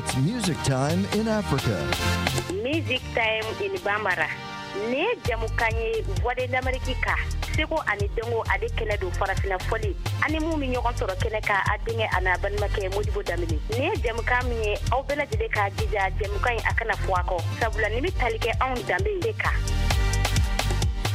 It's music time in Africa. Music Time in Bambara. Nin ye jamukan ye Voix de l'Amérique kan seko ani dɔnko ale kɛnɛ don farafina fɔli ani mun bɛ ɲɔgɔn sɔrɔ kɛnɛ kan a denkɛ a n'a balimakɛ Modibo Danbele nin ye jamukan min ye aw bɛɛ lajɛlen k'a jija jamukan in a kana fɔ a kɔ sabula nin bɛ tali kɛ anw danbe de kan.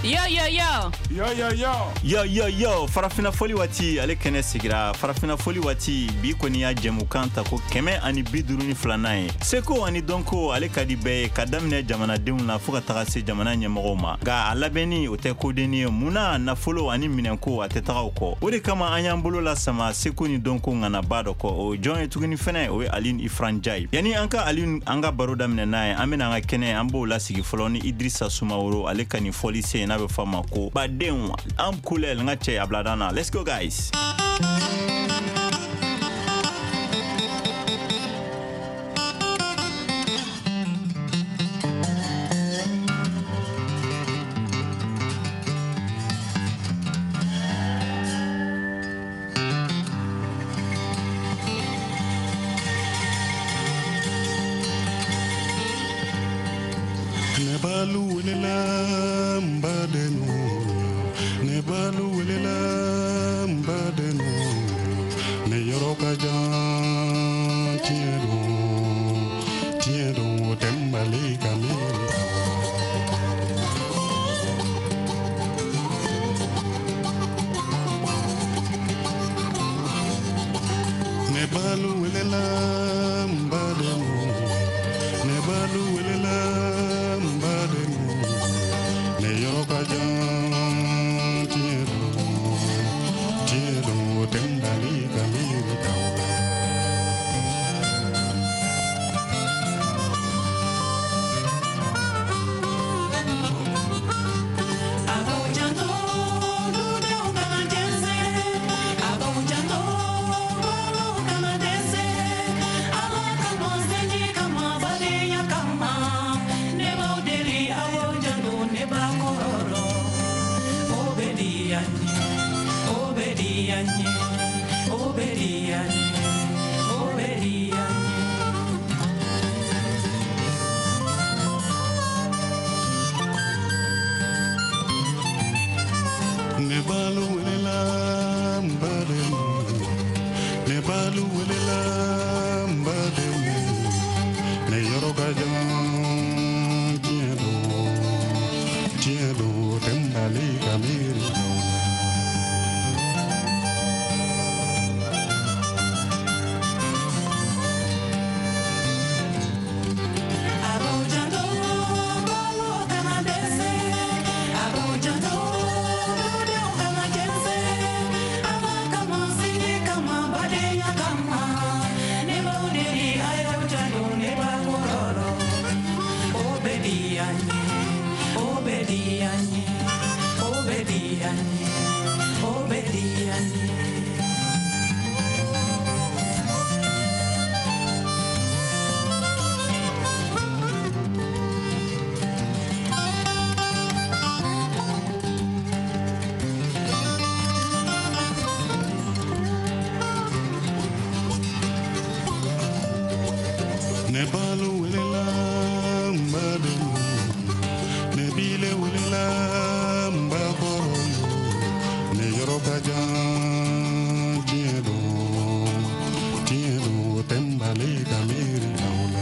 Yo, yo, yo. Yo, yo, yo. Yo, yo, yo. Farafina fɔli waati ale kɛnɛ sigira. Farafina fɔli waati bi kɔni y'a jɛmukan ta ko 152nan ye. Seko ani dɔnko ale ka di bɛɛ ye ka daminɛ jamanadenw na fo ka taga se jamana ɲɛmɔgɔw ma. Nka a labɛnni o tɛ kodenni ye. Mun na nafolo ani minɛnko a tɛ taga o kɔ. O de kama an y'an bolo lasama seko ni dɔnko ŋanaba dɔ kɔ. O jɔn ye tuguni fɛnɛ, o ye Alioune Ifra Ndiaye. Yanni an ka Alioune an ka baro daminɛ n'a ye, an bɛna an ka kɛnɛ an b'o lasigi fɔlɔ ni Idrissa Sumaworo ale ka nin fɔli sen n'a bɛ fɔ a ma ko badenw an kulɛl n ka cɛ a bila dan na. Let's go guys. Ne balu welela n badenw, ne balu welela n badenw, ne yɔrɔ ka jan tiɲɛ don, tiɲɛ don o tɛ n bali ka miiri aw la. Ne balu welela n badenw, ne balu welela n badenw, ne yɔrɔ ka jan tiɲɛ don, tiɲɛ don o tɛ n bali ka miiri aw la. Ne balu welela n badenw, ne balu welela n badenw, ne yɔrɔ ka jan tiɲɛ don, tiɲɛ don o tɛ n bali ka miiri aw la. Ne balu welela n badenw, ne bile welela n bakɔrɔ yo, ne yɔrɔ ka jan tiɲɛ don, tiɲɛ don o tɛ n bali ka miiri aw la.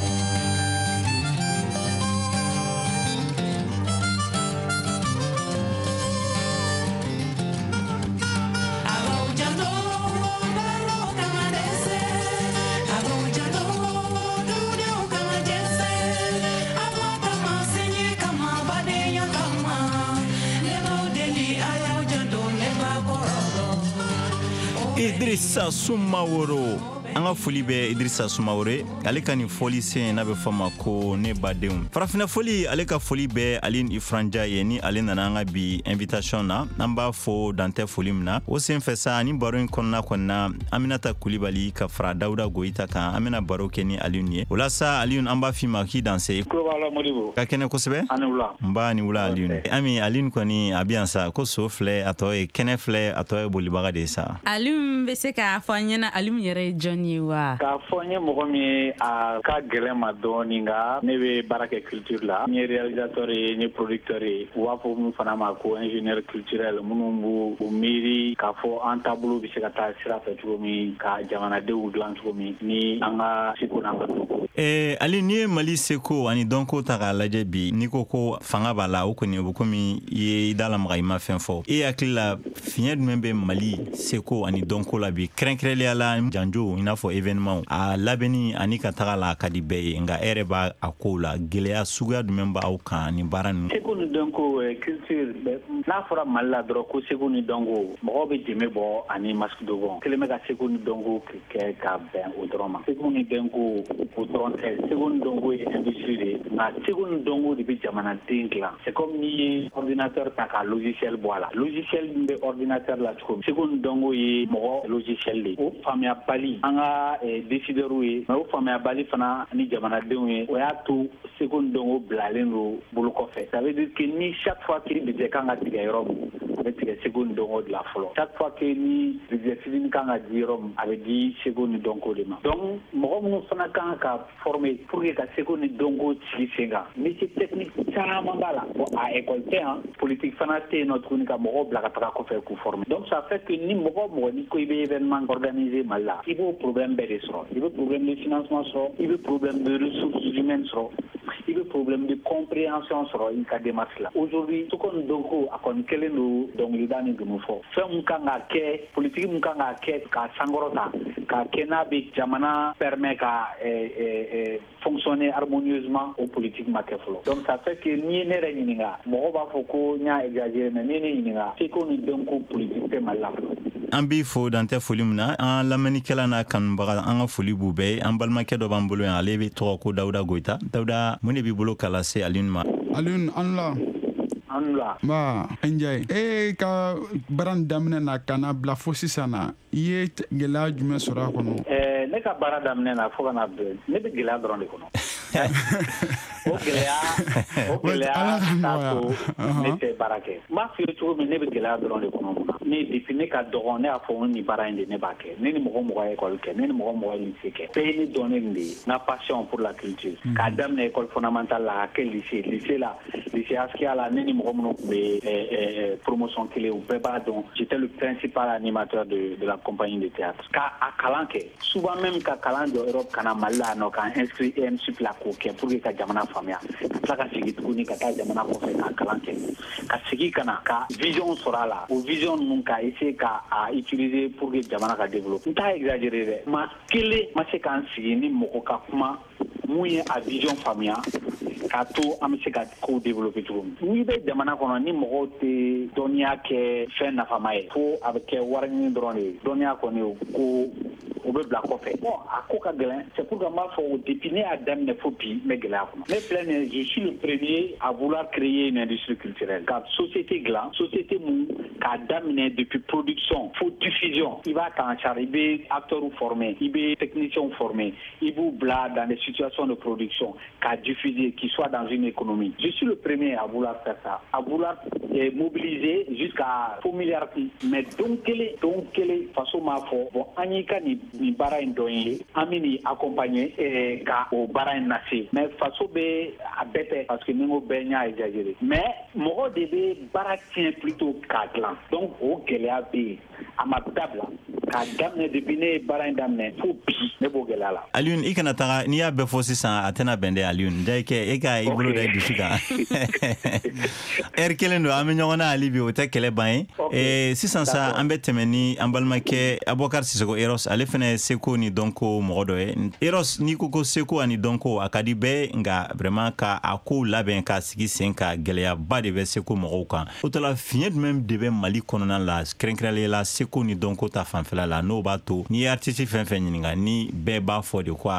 Idrissa Sumaworo, an ka foli bɛ Idrissa Sumaworo ye. Ale ka nin fɔli sen n'a bɛ fɔ a ma ko ne badenw. Farafina fɔli ale ka foli bɛ Alioune Ifra Ndiaye ye ni ale nana an ka bi invitation na. An b'a fo dantɛ foli min na. O sen fɛ sa ni baro in kɔnɔna kɔni na, Aminata Kulibali ka fara Dawuda Goyita kan, an bɛna baro kɛ ni Alioune ye. O la sa Alioune, an b'a f'i ma k'i danse. Tulo b'a la Modibo. Ka kɛnɛ kosɛbɛ. A ni wula. Nba ni wula Alioune. Ami, Alioune kɔni a bɛ yan sa, ko so filɛ a tɔ ye kɛnɛ filɛ a tɔ ye bolibaga de ye sa. Alioune bɛ se k'a fɔ an ɲɛna Alioune yɛrɛ ye jɔn jɔn ye wa? K'a fɔ n ye mɔgɔ min ye, a ka gɛlɛn ma dɔɔni, nka ne bɛ baara kɛ culture la. N ye réalisateur ye, n ye producteur ye. U b'a fɔ mun fana ma ko ingénieur culturel, minnu b'u u miiri k'a fɔ an taabolo bɛ se ka taa sira fɛ cogo min, ka jamanadenw dilan cogo min ni an ka seko n'an ka dɔnko. Ali, n'i ye Mali seko ani dɔnko ta k'a lajɛ bi, n'i ko ko fanga b'a la, o kɔni, o bɛ komi i ye i da lamaga, i ma fɛn fɔ. E hakili la, fiɲɛ jumɛn bɛ Mali seko ani dɔnko la bi, kɛrɛnkɛrɛnlenya la janjo, i n'a fɔ événement a labɛnni ani ka taga la, a ka di bɛɛ ye, nka e yɛrɛ b'a a kow la, gɛlɛya suguya jumɛn b'aw kan ni baara ninnu? Seko ni dɔnko, culture, n'a fɔra Mali la dɔrɔn ko seko ni dɔnko, mɔgɔw bɛ jɛmɛ bɔ ani masque dogon kelen bɛ ka seko ni dɔnko kɛ ka bɛn o dɔrɔn ma. Seko ni dɔnko, o dɔrɔn tɛ. Seko ni dɔnko ye industrie de ye, nka seko ni dɔnko de bɛ jamanaden dilan. C'est comme n'i ye ordinateur ta ka logiciel bɔ a la, logiciel min bɛ ordinateur la cogo min, seko ni dɔnko ye mɔgɔ logiciel de ye. O faamuyabali an ka décideurs ye, mais o faamuyabali fana ni jamanadenw ye, o y'a to seko ni dɔnko bilalen don bolo kɔfɛ. Ça veut dire que ni chaque fois que budget kan ka tigɛ yɔrɔ min, a bɛ tigɛ seko ni dɔnko de la fɔlɔ. Chaque fois que ni budget fitinin kan ka di yɔrɔ min, a bɛ di seko ni dɔnko de ma. Donc mɔgɔ minnu fana kan ka former pour que ka seko ni dɔnko sigi sen kan, métier technique caman b'a la. Bon, a école tɛ yan, politique fana tɛ yen nɔ tuguni ka mɔgɔw bila ka taga kɔfɛ k'u former. Donc ça fait que ni mɔgɔ mɔgɔ ni ko i bɛ événement organiser Mali la, i b'o problème bɛɛ de sɔrɔ. I bɛ problème de financement sɔrɔ, i bɛ problème de ressources humaines sɔrɔ, i bɛ problème de compréhension sɔrɔ i ka démarche la. Aujourd'hui, seko ni dɔnko, a kɔni kɛlen don dɔnkilida ni dunun fɔ. Fɛn mun kan ka kɛ, politique mun kan ka kɛ k'a sankɔrɔta, k'a kɛ n'a bɛ jamana permet ka fonctionner harmonieusement, o politique ma kɛ fɔlɔ. Donc ça fait que n'i ye ne yɛrɛ ɲininka, mɔgɔw b'a fɔ ko n y'a exagéré, mais n'i ye ne ɲininka, seko ni dɔnko politique tɛ Mali la fɔlɔ. An b'i fo, dantɛ foli min na. An lamɛnnikɛla n'a kanubaga, an ka foli b'u bɛɛ ye. An balimakɛ dɔ b'an bolo yan, ale bɛ tɔgɔ ko Dawuda Goyita. Dawuda, mun de b'i bolo k'a lase Alioune ma? Alioune, an la. An la. Nba, Njaye, e ka baara nin daminɛ na ka na bila fo sisan na, i ye gɛlɛya jumɛn sɔrɔ a kɔnɔ? Ne ka baara daminɛ na fo ka na bila, ne bɛ gɛlɛya dɔrɔn de kɔnɔ. O gɛlɛya t'a to ne tɛ baara kɛ. N b'a f'i ye cogo min, ne bɛ gɛlɛya dɔrɔn de kɔnɔ. Mun na? Ne, depuis ne ka dɔgɔn, ne y'a fɔ ko nin baara in de, ne b'a kɛ. Ne ni mɔgɔ mɔgɔ ye école kɛ, ne ni mɔgɔ mɔgɔ ye lycée kɛ, bɛɛ ye ne dɔn ne nin de ye, n ka passion pour la culture. K'a daminɛ école fondamentale la, ka kɛ lycée la, lycée Askia la, ne ni mɔgɔ minnu tun bɛ promotion kelen, u bɛɛ b'a dɔn, j'étais le principal animateur de la compagnie de théâtre. Ka a kalan kɛ, souvent même ka kalan jɔ Europe ka na Mali la yan nɔ, k'an inscrit ENSup la k'o kɛ pour que ka jamana faamuya, ka tila ka segin tuguni ka taa jamana kɔfɛ ka kalan kɛ, ka segin ka na ka vision sɔrɔ a la, o vision ninnu ka essayer ka a utiliser pour que jamana ka développer. N t'a exagérer dɛ, maa kelen ma se k'an sigi ni mɔgɔ ka kuma mun ye a vision faamuya k'a to an bɛ se ka kow développer cogo min. N'i bɛ jamana kɔnɔ ni mɔgɔw tɛ dɔnniya kɛ fɛn nafama ye, fo a bɛ kɛ wari ɲini dɔrɔn de ye, dɔnniya kɔni, o ko o bɛ bila kɔfɛ. Bon, a ko ka gɛlɛn. C'est pourquoi n b'a fɔ, depuis ne y'a daminɛ fo bi, n bɛ gɛlɛya kɔnɔ. Ne filɛ nin ye, je suis le premier à vouloir créer une industrie culturelle, ka société dilan, société mun k'a daminɛ depuis production fo diffusion, i b'a ta en charge, i bɛ acteurs former, i bɛ techniciens former, i b'u bila dans des situations de production k'a diffuser, qui soit dans une économie. Je suis le premier à vouloir faire ça, à vouloir mobiliser jusqu'à fo milliard. Mais don kelen, don kelen, faso m'a fɔ: bon, an y'i ka nin baara in dɔn ye, an bɛ nin accompagner ka o baara in lase. Mais faso bɛ a bɛɛ tɛ, parce que ni n ko bɛɛ, n y'a exagéré, mais mɔgɔ de bɛ baara tiɲɛ plutôt k'a dilan. Donc o gɛlɛya bɛ yen, a ma dabila. K'a daminɛ depuis ne ye baara in daminɛ fo bi, ne b'o gɛlɛya la. Alioune, i kana taga. N'i y'a bɛɛ fɔ sisan, a tɛna bɛn dɛ. Alioune, da kɛ e ka i bolo da i dusu kan, ɛri kelen don, an bɛ ɲɔgɔn na hali bi, o tɛ kɛlɛ ban ye. Sisan sa, an bɛ tɛmɛ ni an balimakɛ Abubakar Sisoko Eros. Ale fɛnɛ ye seko ni dɔnko mɔgɔ dɔ ye. Eros, n'i ko ko seko ani dɔnko, a ka di bɛɛ, nka vraiment ka a kow labɛn k'a sigi sen ka, gɛlɛyaba de bɛ seko mɔgɔw kan. O tɔ la, fiɲɛ jumɛn de bɛ Mali kɔnɔna la, kɛrɛnkɛrɛnnenya la seko ni dɔnko ta fanfɛla la, n'o b'a to n'i ye artiste fɛn fɛn ɲininka, ni bɛɛ b'a fɔ de ko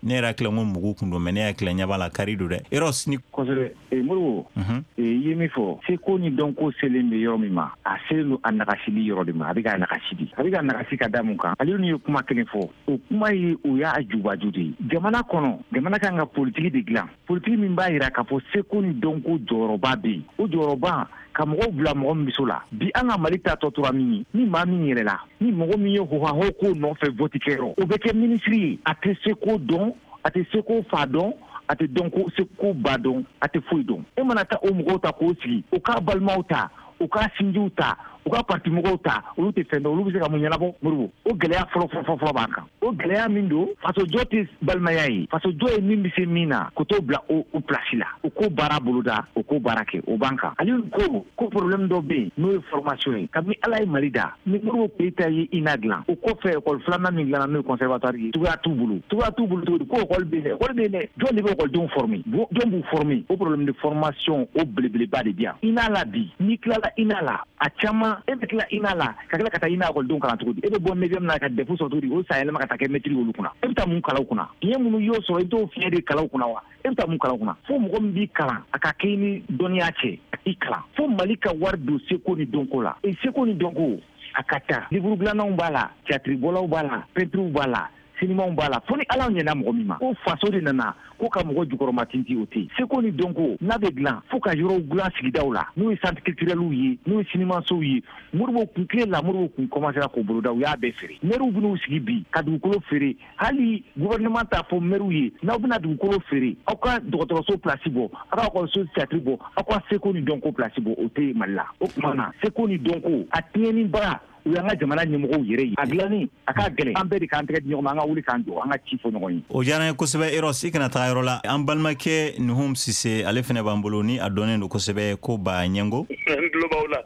ne yɛrɛ hakili ko mugu kun don, mais ne hakili ɲɛ b'a la kari don dɛ, Eros ni? Kosɛbɛ, Modibo. I ye min fɔ, seko ni dɔnko selen bɛ yɔrɔ min ma, a selen don a nagasili yɔrɔ de ma. A bɛ ka nagasi de, a bɛ ka nagasi ka da mun kan? Ale ye kuma kelen fɔ, o kuma ye, o y'a jubaju de ye. Jamana kɔnɔ, jamana kan ka politiki de dilan, politiki min b'a yira k'a fɔ seko ni dɔnko jɔyɔrɔba bɛ yen. O jɔyɔrɔba Ka mɔgɔw bila mɔgɔ min bɛ la bi, an ka Mali ta tɔ tora min ye, ni maa min yɛlɛla, ni mɔgɔ min ye hohaho ko nɔfɛ vote kɛyɔrɔ, o bɛ kɛ minisiri ye. A tɛ se ko dɔn, a tɛ se ko fa dɔn, a tɛ dɔn ko se ko ba dɔn, a tɛ foyi dɔn. E mana taa o mɔgɔw ta k'o sigi, o k'a balimaw ta, u ka sinjiw ta, u ka partimɔgɔw ta, olu tɛ fɛn dɔn, olu bɛ se ka mun ɲɛnabɔ? Moribo, o gɛlɛya fɔlɔ fɔlɔ fɔlɔ b'an kan. O gɛlɛya min don, fasojɔ tɛ balimaya ye. Fasojɔ ye min bɛ se min na, k'o t'o bila o place la, o ko baara boloda, o ko baara kɛ, o b'an kan. Aliyu ko problème dɔ bɛ yen, n'o ye formation ye. Kabini Ala ye Mali da, ni Moribo Keyita ye INA dilan, o kɔfɛ école filanan min dilanna, n'o ye conservatoire ye, cogoya t'u bolo. Cogoya t'u bolo cogo di? Ko école bɛ yen dɛ, école bɛ yen dɛ, jɔn de bɛ écoledenw former? Jɔn b'u former? O problème de formation, o belebeleba de bɛ yan INA la bi. N'i tilala INA la, a caman, e bɛ tila INA la ka tila ka taa INA ekɔlidenw kalan cogo di? E bɛ bɔ neuvième na ka DEF sɔrɔ cogo di? O san yɛlɛma ka taa kɛ maître olu kunna, e bɛ taa mun kalan u kunna? Fiɲɛ minnu y'o sɔrɔ, i t'o fiɲɛ de kalan u kunna wa? E bɛ taa mun kalan u kunna? Fo mɔgɔ min b'i kalan, a ka kɛ ni dɔnniya cɛ i kalan. Fo Mali ka wari don seko ni dɔnko la. E seko ni dɔnko, a ka ca, livre dilannaw b'a la, théâtre bɔlaw b'a la, peintres b'a la, sinimanw b'a la. Fo ni Ala ɲɛna mɔgɔ min ma ko faso de nana ko ka mɔgɔ jukɔrɔma tinti, o tɛ. Seko ni dɔnko n'a bɛ dilan, fo ka yɔrɔw dilan sigidaw la, n'o ye centre culturelw ye, n'o ye sinimansow ye. Moribo kun tile la, Moribo kun commencera k'o boloda, u y'a bɛɛ feere. Maires bɛn'u sigi bi ka dugukolo feere. Hali gouvernement t'a fɔ maires ye: n'aw bɛna dugukolo feere, aw ka dɔgɔtɔrɔso place bɔ, aw ka ekɔliso théâtre bɔ, aw ka seko ni dɔnko place bɔ. O tɛ Mali la. O tuma na, seko ni dɔnko a tiɲɛnibaga, o y'an ka jamana ɲɛmɔgɔw yɛrɛ ye. A dilanni a ka gɛlɛn, an bɛɛ de k'an tɛgɛ di ɲɔgɔn ma, an ka wuli k'an jɔ, an ka ci fɔ ɲɔgɔn ye. O diyara n ye kosɛbɛ. Eros, i kana taga yɔrɔ la. An balimakɛ Nuhum Sise, ale fɛnɛ b'an bolo, ni a dɔnnen don kosɛbɛ ko Ba Ɲɛngo. N tulo b'aw la.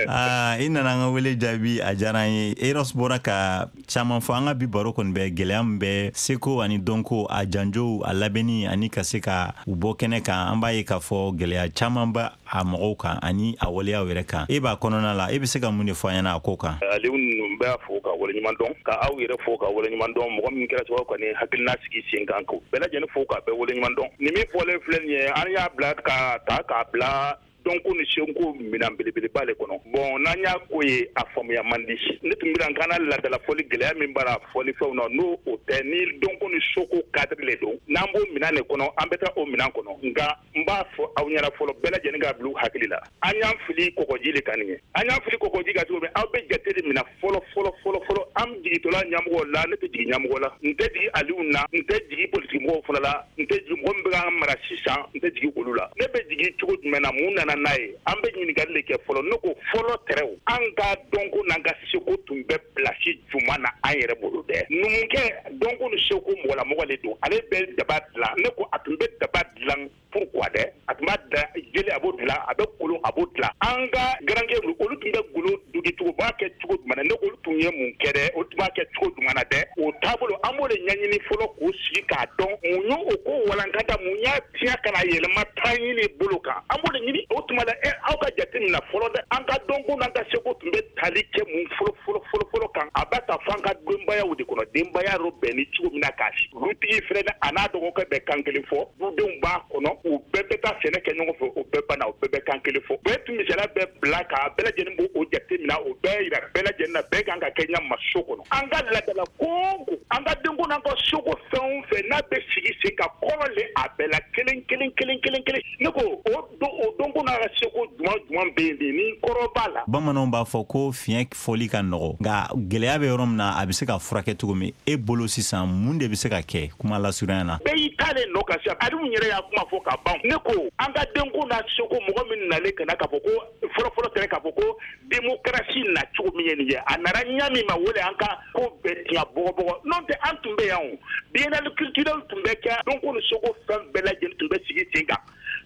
Aa, i nana an ka wele jaabi, a diyara an ye. Eros bɔra ka caman fɔ. An ka bi baro kɔni bɛ gɛlɛya min bɛ seko ani dɔnko, a janjow, a labɛnni ani ka se ka u bɔ kɛnɛ kan. An b'a ye k'a fɔ gɛlɛya caman bɛ a mɔgɔw kan ani a waleyaw yɛrɛ kan. E b'a kɔnɔna la, e bɛ se ka mun de fɔ an ɲɛna a ko kan? Aliou, n b'a fo ka waleɲuman dɔn, ka aw yɛrɛ fo ka waleɲuman dɔn. Mɔgɔ min kɛra sababu ka nin hakilina sigi sen kan, k'o bɛɛ lajɛlen fo ka bɛɛ waleɲuman dɔn. Nin min fɔlen filɛ nin ye, an y'a bila ka ta k'a bila dɔnko ni seko minɛn belebeleba le kɔnɔ. Bon, n'an y'a ko ye, a faamuya man di. Ne tun bɛna k'an na ladala fɔli gɛlɛya min b'a la fɔlifɛnw na, n'o o tɛ, ni dɔnko ni soko cadre le don, n'an b'o minɛn de kɔnɔ, an bɛ taa o minɛn kɔnɔ. Nka n b'a fɔ aw ɲɛna fɔlɔ, bɛɛ lajɛlen k'a bila u hakili la, an y'an fili kɔgɔji le kan nin ye. An y'an fili kɔgɔji kan cogo min, aw bɛ jate de minɛ fɔlɔ fɔlɔ fɔlɔ fɔlɔ. An jigitɔla ɲɛmɔgɔ la, ne tɛ jigin ɲɛmɔgɔ la, n tɛ jigin Aliw na, n tɛ jigin politikimɔgɔw fana la, n tɛ jigin mɔgɔ min bɛ k'an mara sisan, n tɛ jigin olu la. Ne bɛ jigin cogo jumɛn na? Mun nana n'a ye? An bɛ ɲininkali de kɛ fɔlɔ. Ne ko fɔlɔ tɛrɛw, an ka dɔnko n'an ka seko tun bɛ place jumɛn na an yɛrɛ bolo dɛ? Numukɛ, dɔnko ni seko mɔgɔlamɔgɔ de don, ale bɛ daba dilan. Ne ko a tun bɛ daba dilan pourquoi dɛ? A tun b'a da jeli, a b'o dilan, a bɛ kolon, a b'o dilan. An ka garankɛ, olu tun bɛ golo dugi cogo, b'a kɛ cogo jumɛn na? Ne ko olu tun ye mun kɛ dɛ? Olu tun b'a kɛ cogo jumɛn na dɛ? O taabolo, an b'o de ɲɛɲini fɔlɔ k'o sigi k'a dɔn mun y'o o ko walankata, mun y'a tiɲɛ ka na yɛlɛma taa ɲini bolo kan, an b'o de ɲini. O tuma la, aw ka jate minɛ fɔlɔ dɛ, an ka dɔnko n'an ka seko tun bɛ tali kɛ mun fɔlɔ fɔlɔ fɔlɔ fɔlɔ kan? A b'a ta fɔ an ka denbayaw de kɔnɔ, denbaya yɔrɔ bɛn ni cogo min na k'a sigi. Dutigi filɛ, a n'a dɔgɔkɛ bɛ kan kelen fɔ, dudenw b'a kɔnɔ, u bɛɛ bɛ taa sɛnɛ kɛ ɲɔgɔn fɛ, o bɛɛ banna, o bɛɛ bɛ kan kelen fɔ. Bɛɛ tun misaliya bɛɛ bila k'a bɛɛ lajɛlen b'o o jate minɛ, o bɛɛ yira bɛɛ lajɛlen na, bɛɛ kan ka kɛ ɲɛ so kɔnɔ. An ka laadala ko o ko, an ka denko n'an ka soko fɛn o fɛn n'a bɛ sigi sen ka kɔrɔ le a bɛɛ la kelen kelen kelen kelen kelen. Ne ko o dɔnko n'a ka seko jumɛn jumɛn bɛ yen ni kɔrɔ b'a la? Bamananw b'a fɔ ko fiɲɛ fɔli ka nɔgɔ, nka gɛlɛya bɛ yɔrɔ min na, a bɛ se ka furakɛ cogo min? E bolo sisan, mun de bɛ se ka kɛ kuma lasurunya na? Bɛɛ y'i ta de nɔ kan sisan. Aliou yɛrɛ y'a kuma fɔ ka ban. Ne ko an ka denko n'a seko, mɔgɔ min nalen ka na k'a fɔ ko fɔlɔ fɔlɔ tɛrɛ k'a fɔ ko démocratie na cogo min ye nin ye, a nana ɲa min ma, wele an ka ko bɛɛ tiɲɛ bɔgɔbɔgɔ. N'o tɛ, an tun bɛ yan o, biennale culturelle tun bɛ kɛ, dɔnko ni seko fɛn bɛɛ lajɛlen tun bɛ sigi sen kan,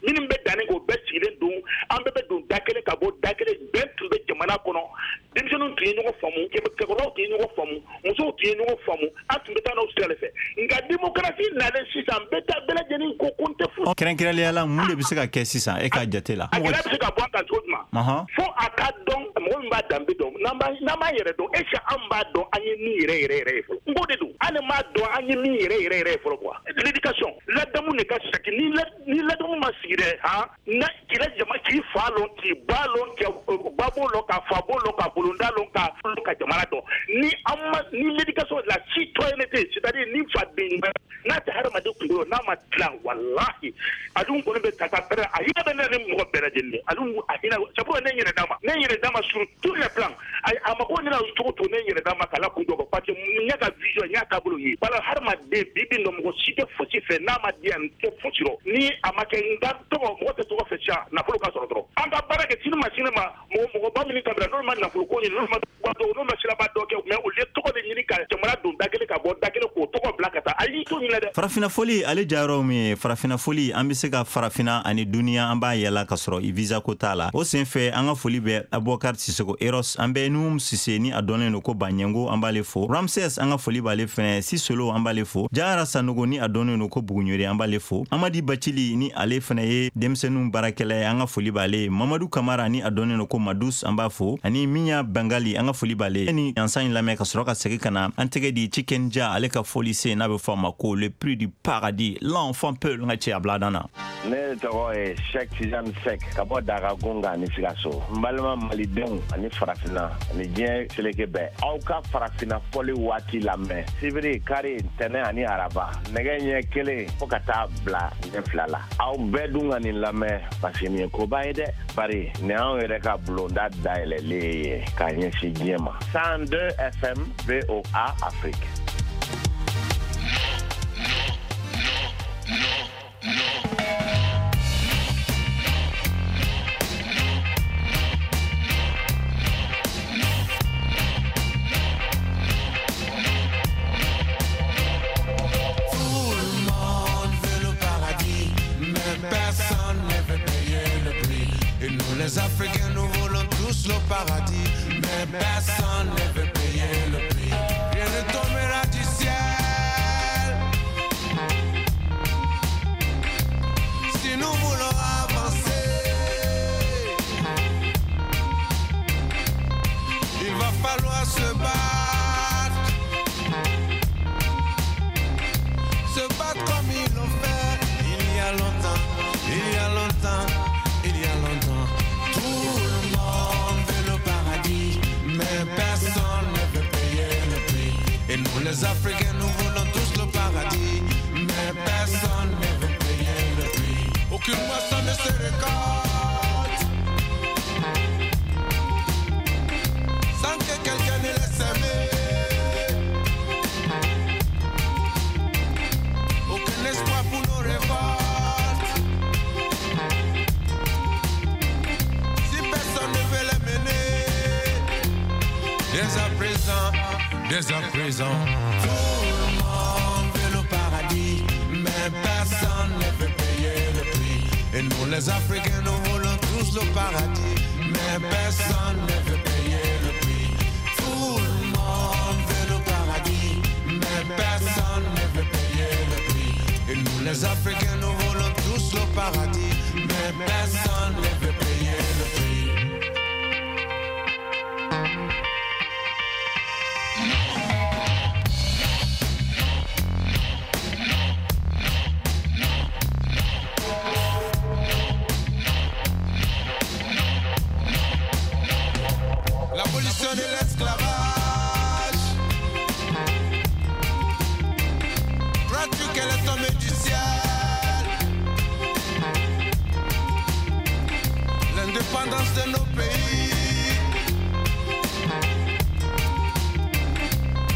minnu bɛ danni kɛ, o bɛɛ sigilen don, an bɛɛ bɛ don da kelen ka bɔ da kelen. Bɛn tun bɛ jamana kɔnɔ, denmisɛnninw tun ye ɲɔgɔn faamu, cɛkɔrɔbaw tun ye ɲɔgɔn faamu, musow tun ye ɲɔgɔn faamu, an tun bɛ taa n'o sira de fɛ. Nka démocratie nalen sisan, bɛɛ taa bɛɛ lajɛlen ko ko n tɛ foyi. Kɛrɛnkɛrɛnnenya la, mun de bɛ se ka kɛ sisan e ka jate la? A gɛlɛya bɛ se ka bɔ a kan cogo jumɛn? Fo a ka dɔn, mɔgɔ min b'a danbe dɔn, n'an b'an yɛrɛ dɔn, est ce que an b'a dɔn an ye min yɛrɛ yɛrɛ yɛrɛ ye fɔlɔ? N ko de don, an de m'a dɔn an ye min yɛrɛ yɛrɛ yɛrɛ ye fɔlɔ quoi. L'éducation, ladamu de ka sigi. Ni ladamu ma sigi dɛ, han, na k'i la jama, k'i fa lɔn, k'i ba lɔn, k'i ba b'o lɔn, ka fa b'o lɔn, ka bolonda lɔn, ka jamana dɔn, ni an ma ni l'éducation, la citoyenneté, c'est à dire ni faden n'a tɛ hadamaden kunkolo n'a ma dilan, walahi. Walahi, Alioune kɔni bɛ tata pɛrɛ, a hinɛ bɛ ne ni mɔgɔ bɛɛ lajɛlen. Alioune a hinɛ, c'est pourquoi ne yɛrɛ d'a ma, ne yɛrɛ d'a ma sur tous les plans. A mako ne na cogo cogo, ne yɛrɛ d'a ma k'a la kun dɔ, parce que n y'a ka vision, n y'a taabolo ye. Wala hadamaden bi bi nɔ, mɔgɔ si tɛ fosi fɛ n'a ma di yan, n tɛ fosi rɔ ni a ma kɛ n ka tɔgɔ. Mɔgɔ tɛ tɔgɔ fɛ sisan, nafolo ka sɔrɔ dɔrɔn. An ka baara kɛ sini ma, sini ma, mɔgɔ mɔgɔba minnu kabila, n'olu ma nafolo ko ɲini, n'olu ma dɔn, n'olu ma siraba dɔ kɛ, mais olu ye tɔgɔ de ɲini ka jamana don da kelen ka bɔ da kelen, k'o tɔgɔ bila ka taa. A y'i to ɲinɛ dɛ. Farafina foli, ale jayɔrɔ min ye farafina foli, an bɛ se ka farafina ani duniya, an b'a yala ka sɔrɔ i visa ko t'a la. O sen fɛ, an ka foli bɛ Abubakar Sisoko Eros, an bɛ Nuhum Sise ni a dɔnnen don ko Baɲɛngo, an b'ale fo. Ramses, an ka foli b'ale fɛnɛ. Sisolo, an b'ale fo. Jara Sanogo ni a dɔnnen don ko Buguɲori, an b'ale fo. Amadi Bacili ni ale fɛnɛ ye denmisɛnninw baarakɛla ye, an ka foli b'ale. Mamadu Kamara ni a dɔnnen don ko Madus, an b'a fo. Ani Minya Bangali, an ka foli b'ale. Ni yansan in lamɛn ka sɔrɔ ka segin ka na an tɛgɛ di Cikenja, ale ka foli sen n'a bɛ fɔ a ma ko Le Prix du Paradis, l'enfant peul, n ka cɛ a bila dan na. Ne tɔgɔ ye Sɛk Tijani Sɛk ka bɔ Daga Gonga ni Sikaso. N balima malidenw ani farafinna ani diɲɛ seleke bɛɛ, aw ka farafinna fɔli waati lamɛn sibiri, kari, ntɛnɛ ani araba, nɛgɛ ɲɛ 1 fo ka taa bila ɲɛ 2 la. Aw bɛɛ dun ka nin lamɛn, parce que nin ye koba ye dɛ, bari nin y'anw yɛrɛ ka bulonda dayɛlɛlen ye k'a ɲɛsin diɲɛ ma. 102 FM, VOA Afrique. Tout le monde veut le paradis, mais personne ne veut payer le prix. Et nous les Africains, nous voulons tous le paradis, mais personne ne veut payer le prix. Rien ne tombera du ciel. Si nous voulons avancer, il va falloir se battre. Se battre comme ils l'ont fait il y a longtemps, il y a longtemps, il y a longtemps. Tout le monde veut le paradis, mais personne ne veut payer le prix. Et nous les Africains, nous voulons tous le paradis, mais personne ne veut payer le prix. Aucune moisson ne se récolte sans que quelqu'un ne l'ait semé. Aucun espoir pour nos révoltes si personne ne veut les mener. Dès à présent, dès à présent, tout le monde veut le paradis, mais personne ne veut payer le prix. Et nous les Africains, nous voulons tous le paradis, mais personne ne veut payer le prix. Tout le monde veut le paradis, mais personne ne veut payer le prix. Et nous les Africains, nous voulons tous le paradis, mais personne ne veut payer le prix. L'abolition de l'esclavage. Crois-tu qu'elle est tombée du ciel? L'indépendance de nos pays.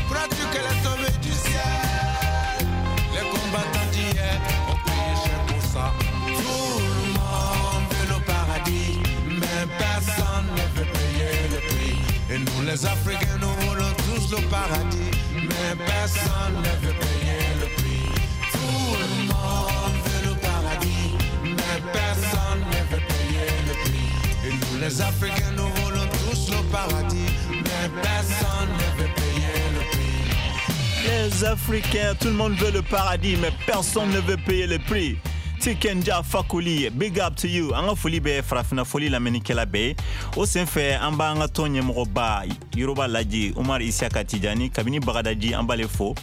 Crois-tu qu'elle est tombée du ciel? Les combattants d'hier ont payé cher pour ça. Tout le monde veut le paradis, mais personne ne veut payer le prix. Et nous les Africains, nous voulons tous le paradis, mais personne ne veut payer le prix. Tout le monde veut le paradis, mais personne ne veut payer le prix. Et nous les Africains, nous voulons tous le paradis, mais personne ne veut payer le prix. Les Africains, tout le monde veut le paradis, mais personne ne veut payer le prix. Tikenja Fakuli, big up to you. An ka foli bɛ farafina foli lamɛnnikɛla bɛɛ ye. O senfɛ, an b'an ka tɔn ɲɛmɔgɔba Yoroba Laji Umar Isiyaka Tijani kabini Bagadaji, an b'ale fo.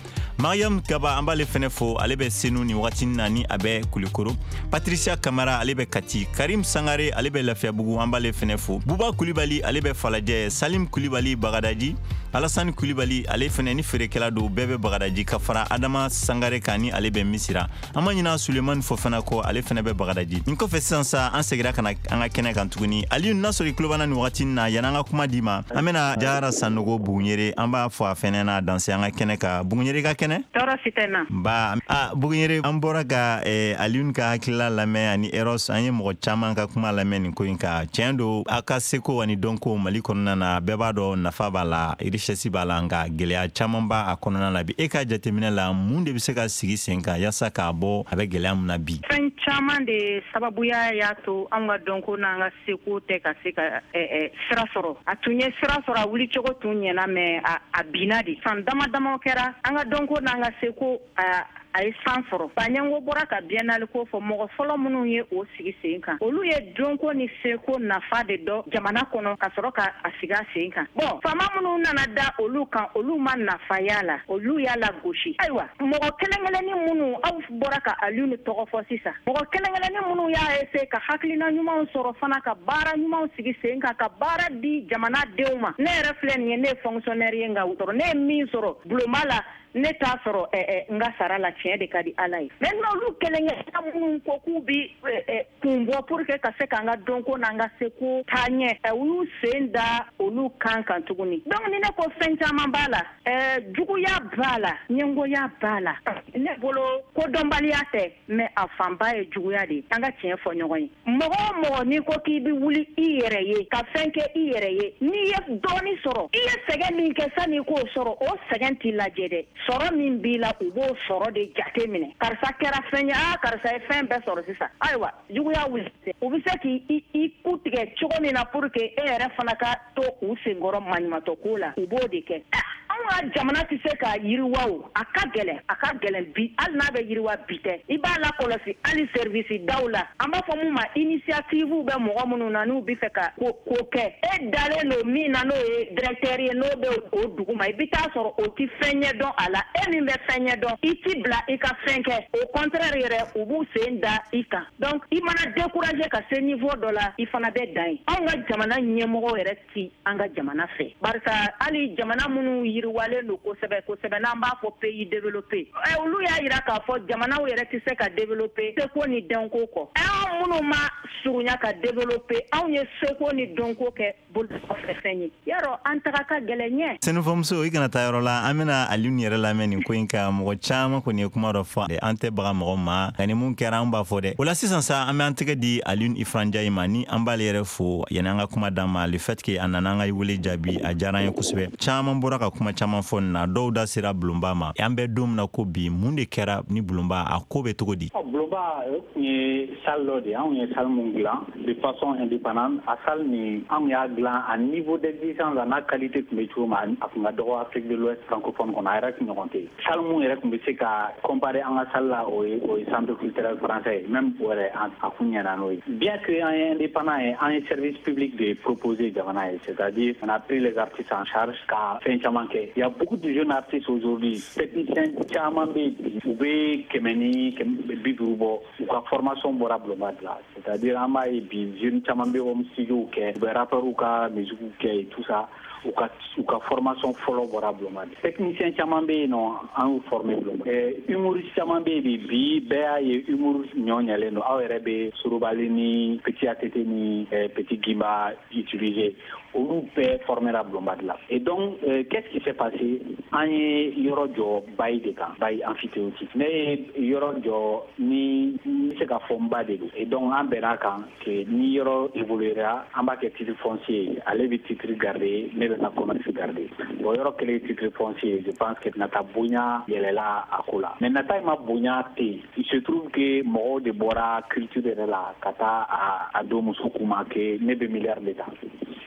Mariam Kaba, an b'ale fɛnɛ fo, ale bɛ Senu ni wagati na ni a bɛ Kulikoro. Patricia Kamara, ale bɛ Kati. Karim Sangare, ale bɛ Lafiyabugu, an b'ale fɛnɛ fo. Buba Kulibali, ale bɛ Falajɛ. Salim Kulibali, Bagadaji. Alassane Kulibali, ale fɛnɛ ni feerekɛla don, bɛɛ bɛ Bagadaji, ka fara Adama Sangare kan ni ale bɛ Misira. An ma ɲina Sulemani Fofana kɔ, ale fɛnɛ bɛ Bagadaji. Nin kɔfɛ sisan sa, an segira ka na an ka kɛnɛ kan tuguni. Aliyu, n'a sɔrɔ i tulo b'an na nin wagati na, yan'an ka kuma di ma, an bɛna Jara Sanogo Buguɲere, an b'a fɔ a fɛnɛ n'a danse an ka kɛnɛ kan. Buguɲere, ka kɛnɛ? Tɔɔrɔ si tɛ na. Ba a Buguɲere, an bɔra ka Aliyun ka hakilila lamɛn ani Eros, an ye mɔgɔ caman ka kuma lamɛn nin ko in kan. Tiɲɛ don, a ka seko ani dɔnko Mali kɔnɔna na, bɛɛ b'a dɔn nafa b'a la, richesse b'a la, nka gɛlɛya caman b'a kɔnɔna na bi. E ka jateminɛ la, mun de bɛ se ka sigi sen kan yaasa k'a bɔ a bɛ gɛlɛya min na bi? Fɛn caman de sababuya y'a to anw ka dɔnko n'an ka seko tɛ ka se ka sira sɔrɔ. A tun ye sira sɔrɔ, a wulicogo tun ɲɛna, mais a binna de. San dama dama kɛra, an ka dɔnko n'an ka seko a ye san sɔrɔ. Baɲango bɔra ka biennale ko fɔ. Mɔgɔ fɔlɔ minnu ye o sigi sen kan, olu ye dɔnko ni seko nafa de dɔn jamana kɔnɔ ka sɔrɔ ka a sigi a sen kan. Bon, faama minnu nana da olu kan, olu ma nafa y'a la, olu y'a la gosi. Ayiwa, mɔgɔ kelen kelenni minnu aw bɔra ka Alioune tɔgɔ fɔ sisan, mɔgɔ kelen kelenni minnu y'a essayer ka hakilina ɲumanw sɔrɔ fana, ka baara ɲumanw sigi sen kan, ka baara di jamana denw ma. Ne yɛrɛ filɛ nin ye, ne ye fonctionnaire ye, nka ne ye min sɔrɔ bulonba la, ne t'a sɔrɔ n ka sara la. Tiɲɛ de ka di Ala ye. Maintenant, olu kelen kelenna minnu ko k'u bi kun bɔ pour que ka se k'an ka dɔnko n'an ka seko taa ɲɛ, u y'u sen da olu kan kan tuguni. Donc ni ne ko fɛn caman b'a la, juguya b'a la, ɲɛngoya b'a la. Ne bolo, kodɔnbaliya tɛ, mais a fanba ye juguya de ye. An ka tiɲɛ fɔ ɲɔgɔn ye. Mɔgɔ o mɔgɔ n'i ko k'i bɛ wuli i yɛrɛ ye ka fɛn kɛ i yɛrɛ ye, n'i ye dɔɔni sɔrɔ, i ye sɛgɛn min kɛ sanni i k'o sɔrɔ, o sɛgɛn t'i lajɛ dɛ. Sɔrɔ min b'i la, u b'o sɔrɔ de jate minɛ. Karisa kɛra fɛn ye, aa, karisa ye fɛn bɛɛ sɔrɔ sisan. Ayiwa, juguya wuli, u bɛ se k'i i ku tigɛ cogo min na pour que e yɛrɛ fana ka to u senkɔrɔ maɲumatɔ ko la, u b'o de kɛ. Anw ka jamana tɛ se ka yiriwa o, a ka gɛlɛn, a ka gɛlɛn bi. Hali n'a bɛ yiriwa bi tɛ, i b'a lakɔlɔsi hali service daw la, an b'a fɔ mun ma initiative bɛ mɔgɔ minnu na, n'u bɛ fɛ ka ko ko kɛ, e dalen don min na, n'o ye directeur ye, n'o bɛ o dugu ma, i bɛ taa sɔrɔ o ti fɛn ɲɛ dɔn a la. E min bɛ fɛn ɲɛ dɔn, i ti bila i ka fɛn kɛ. Au contraire yɛrɛ, u b'u sen da i kan. Donc i mana décourager ka se niveau dɔ la, i fana bɛ dan yen. Anw ka jamana ɲɛmɔgɔw yɛrɛ ti an ka jamana fɛ, barisa hali jamana minnu yiriwalen don kosɛbɛ kosɛbɛ, n'an b'a fɔ pays développé, olu y'a yira k'a fɔ jamanaw yɛrɛ tɛ se ka développer seko ni dɔnko kɔ. Anw minnu ma surunya ka développer, anw ye seko ni dɔnko kɛ bolofɛ fɛn ye, yarɔ an taga ka gɛlɛn ɲɛ. Sɛnɛfɔmuso, i kana taa yɔrɔ la, an bɛna Alioune yɛrɛ lamɛn nin ko in kan. Mɔgɔ caman kɔni ye kuma dɔ fɔ, an tɛ baga mɔgɔ ma, nka ni mun kɛra, an b'a fɔ dɛ. O la sisan sa, an bɛ an tɛgɛ di Alioune Ifran Ndiaye ma, ni an b'ale yɛrɛ fo yanni an ka kuma d'an ma. Le fait que a nana an ka wele jaabi, a diyara an ye kosɛbɛ. Caman bɔra ka kuma caman fɔ nin na, dɔw da sera bulonba ma. An bɛ don min na ko bi, mun de kɛra ni bulonba, a ko bɛ cogo di? Bulonba, o tun ye salle dɔ de ye, anw ye salle mun dilan de façon indépendante. A salle nin, anw y'a dilan a niveau d'exigence a n'a qualité tun bɛ cogo min, a tun ka dɔgɔ Afrique de l'Ouest francophone kɔnɔ, a yɛrɛ tun ɲɔgɔn tɛ yen. Salle mun yɛrɛ tun bɛ se ka comparer an ka salle la, o ye centre culturel français ye. Même o yɛrɛ, a kun ɲɛna n'o ye. Bien que an ye indépendant ye, an ye service public de proposer jamana ye, c'est-à-dire on a pris les artistes en charge ka fɛn caman kɛ. Il y a beaucoup de jeunes artistes aujourd'hui, techniciens caman bɛ yen bi, u bɛ 150 bɔ, u ka formation bɔra bulonba de la. C'est-à-dire an b'a ye bi, jeunes caman bɛ home studio kɛ, u bɛ rappeurs ka musique kɛ et tout ça, u ka formation fɔlɔ bɔra bulonba de. Technicien caman bɛ yen nɔ, an y'u former bulonba. Humoriste caman bɛ yen bi, bi bɛɛ y'a ye humour ɲɔ ɲɛlen don. Aw yɛrɛ bɛ Sorobali ni Petit ATT ni Petit Gimba utiliser, olu bɛɛ formera bulonba de la. Et donc qu'est-ce qui s'est passé? An ye yɔrɔ jɔ bail de kan, bail emphytéotique. Ne ye yɔrɔ jɔ ni n bɛ se ka fɔ n ba de don. Et donc an bɛn'a kan que ni yɔrɔ évoluera, an b'a kɛ titre foncier ye. Ale bɛ titre garder, ne bɛ n ka commerce garder. Bon, yɔrɔ kɛlen titre foncier, je pense que nata bonya yɛlɛla a ko la. Mais nata in ma bonya ten, il se trouve que mɔgɔw de bɔra culture yɛrɛ la ka taa a don muso kuma que ne bɛ milliard de ta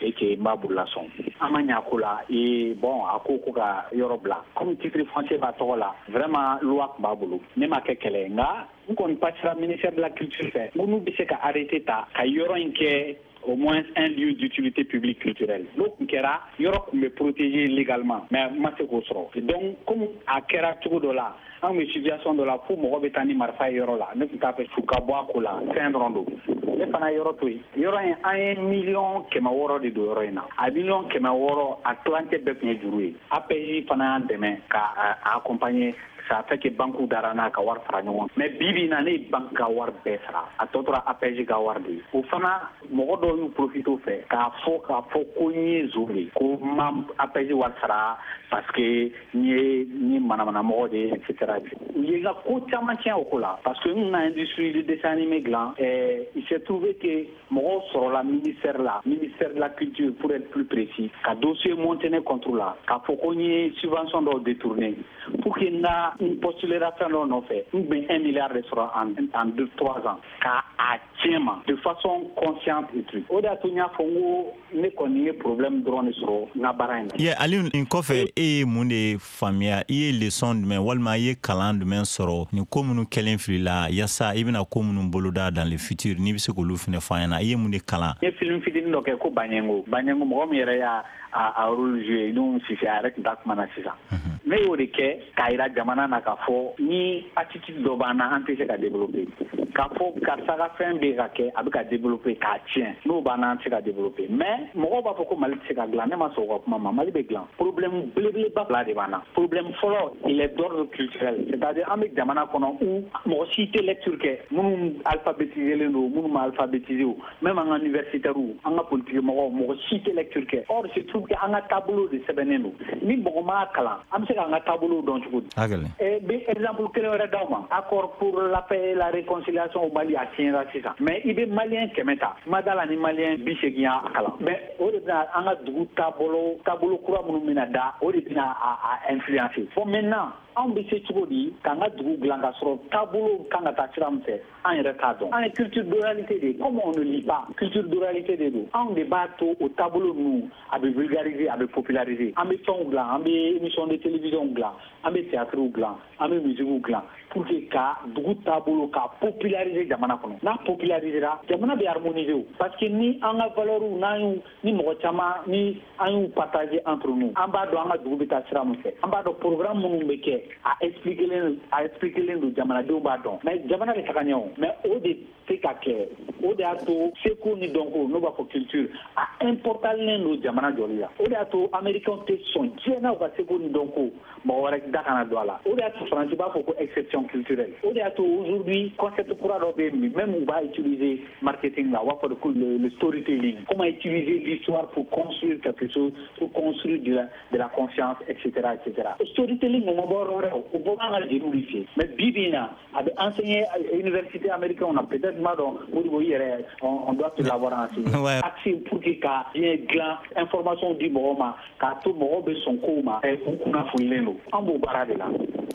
et que n b'a bolola sɔn. An ma ɲɛ a ko la. Et bon, a ko ko ka yɔrɔ bila comme titre foncier b'a tɔgɔ la. Vraiment, loi tun b'a bolo, ne ma kɛ kɛlɛ ye, nka n kɔni passera ministère de la culture fɛ, n ko n'u bɛ se ka arrêté ta ka yɔrɔ in kɛ au moins un lieu d'utilité publique culturelle. N'o tun kɛra, yɔrɔ tun bɛ protéger légalement, mais n ma se k'o sɔrɔ. Donc comme a kɛra cogo dɔ la, an bɛ situation dɔ la fo mɔgɔ bɛ taa ni marifa ye yɔrɔ la, ne tun t'a fɛ su ka bɔ a ko la, fɛn dɔrɔn don. Ne fana yɔrɔ to yen. Yɔrɔ in, an ye 600 000 miliyɔn de don yɔrɔ in na. A 600 000 miliyɔn, a tilancɛ bɛɛ tun ye juru ye. APJ fana y'an dɛmɛ ka accompagner. Ça fait que banque dara n'a ka wari fara ɲɔgɔn. Mais bi bi in na, ne ye banque ka wari bɛɛ sara, a tɔ tora APJ ka wari de ye. O fana, mɔgɔ dɔw y'u profité o fɛ k'a fɔ ko n ye zon de ye, ko n ma APJ wari sara parce que n ye manamanamɔgɔ de ye, et cetera. U ye n ka ko caman tiɲɛ o ko la, parce que n na industrie de dessin animé dilan. Il s'est trouvé que mɔgɔw sɔrɔla ministère la, ministère de la culture pour être plus précis, ka dossier monté ne contre la, k'a fɔ ko n ye subvention dɔw détourné pour que n ka n postulera fɛn dɔ nɔfɛ. N bɛ 1 milliard de sɔrɔ en 2, 3 ans, ka a tiɲɛ ma de façon consciente et truc. O de y'a to n y'a fɔ n ko ne kɔni ye problème dɔrɔn de sɔrɔ n ka baara in na. Ye Aliou, nin kɔfɛ, e ye mun de faamuya? I ye leçon jumɛn walima i ye kalan jumɛn sɔrɔ nin ko minnu kɛlen fili la, yaasa i bɛna ko minnu boloda dans le futur, n'i bɛ se k'olu fɛnɛ fɔ an ɲɛna? I ye mun de kalan? N ye film fitinin dɔ kɛ ko Baɲɛngo. Baɲɛngo, mɔgɔ min yɛrɛ y'a a rôle joué, n'o Sise, a yɛrɛ tun t'a kuma na sisan. Ne y'o de kɛ k'a yira jamana na k'a fɔ ni attitude dɔ b'an na, an tɛ se ka développer. K'a fɔ karisa ka fɛn bɛ ka kɛ, a bɛ ka développer k'a tiɲɛ, n'o b'an na, an tɛ se ka développer. Mais mɔgɔw b'a fɔ ko Mali tɛ se ka dilan. Ne ma sɔn o ka kuma ma. Mali bɛ dilan. Problème belebeleba fila de b'an na. Problème fɔlɔ, il est d'ordre culturel, c'est-à-dire an bɛ jamana kɔnɔ où mɔgɔ si tɛ lecture kɛ, minnu alphabétisé len don, minnu ma alphabétisé o, même an ka universitaires, an ka politique mɔgɔw, mɔgɔ si tɛ lecture kɛ. Or c'est trouve que an ka taabolo de sɛbɛnnen don, ni mɔgɔ m'a kalan, an bɛ se k'an ka taabolo dɔn cogo di? Bɛ exemple kelen wɛrɛ d'aw ma. Accord pour la paix et la réconciliation au Mali, a signera sisan, mais i bɛ malien 100 ta, ma da la ni malien 80 y'a kalan. Mais o de bɛna an ka dugu taabolo kura minnu bɛna da, o de bɛna a influencer. Bon, maintenant, anw bɛ se cogo di k'an ka dugu dilan ka sɔrɔ taabolo kan ka taa sira min fɛ, an yɛrɛ t'a dɔn? An ye culture d'oralité de ye. Comme on ne lit pas, culture d'oralité de don. Anw de b'a to o taabolo ninnu a bɛ vulgariser, a bɛ populariser. An bɛ fɛnw dilan, an bɛ émission de télévision dilan, an bɛ théâtre dilan, an bɛ musique dilan pour que ka dugu taabolo ka populariser jamana kɔnɔ. N'a popularisera, jamana bɛ harmoniser o, parce que ni an ka valeurs, n'an y'u ni mɔgɔ caman ni an y'u partager entre nous, an b'a dɔn an ka dugu bɛ taa sira min fɛ, an b'a dɔn programme minnu bɛ kɛ, a expliquelen don, jamanadenw b'a dɔn. Mais jamana bɛ taga ɲɛ o, mais o de tɛ ka kɛ. O de y'a to seko ni dɔnko, n'o b'a fɔ culture, a importantlen don jamana jɔli la. O de y'a to américains tɛ sɔn diɲɛ na u ka seko ni dɔnko mɔgɔ wɛrɛ da kana don a la. O de y'a to faransi b'a fɔ ko exception culturelle. O de y'a to aujourd'hui concept kura dɔ bɛ yen, même u b'a utiliser marketing la, u b'a fɔ de ko le storytelling, comment utiliser l'histoire pour construire quelque chose, pour construire de la confiance, etc., etc. Storytelling, o ma bɔ yɔrɔ wɛrɛ, o bɔra an ka jeliw de fɛ. Mais bi bi in na, a bɛ enseigner université américaine na. Peut-être m'a dɔn, Modibo, i yɛrɛ, on doit te l'avoir enseigné. Accès pour que ka diɲɛ dilan, information di mɔgɔw ma, k'a to mɔgɔw bɛ sɔn kow ma, u kunnafonilen don. An b'o baara de la,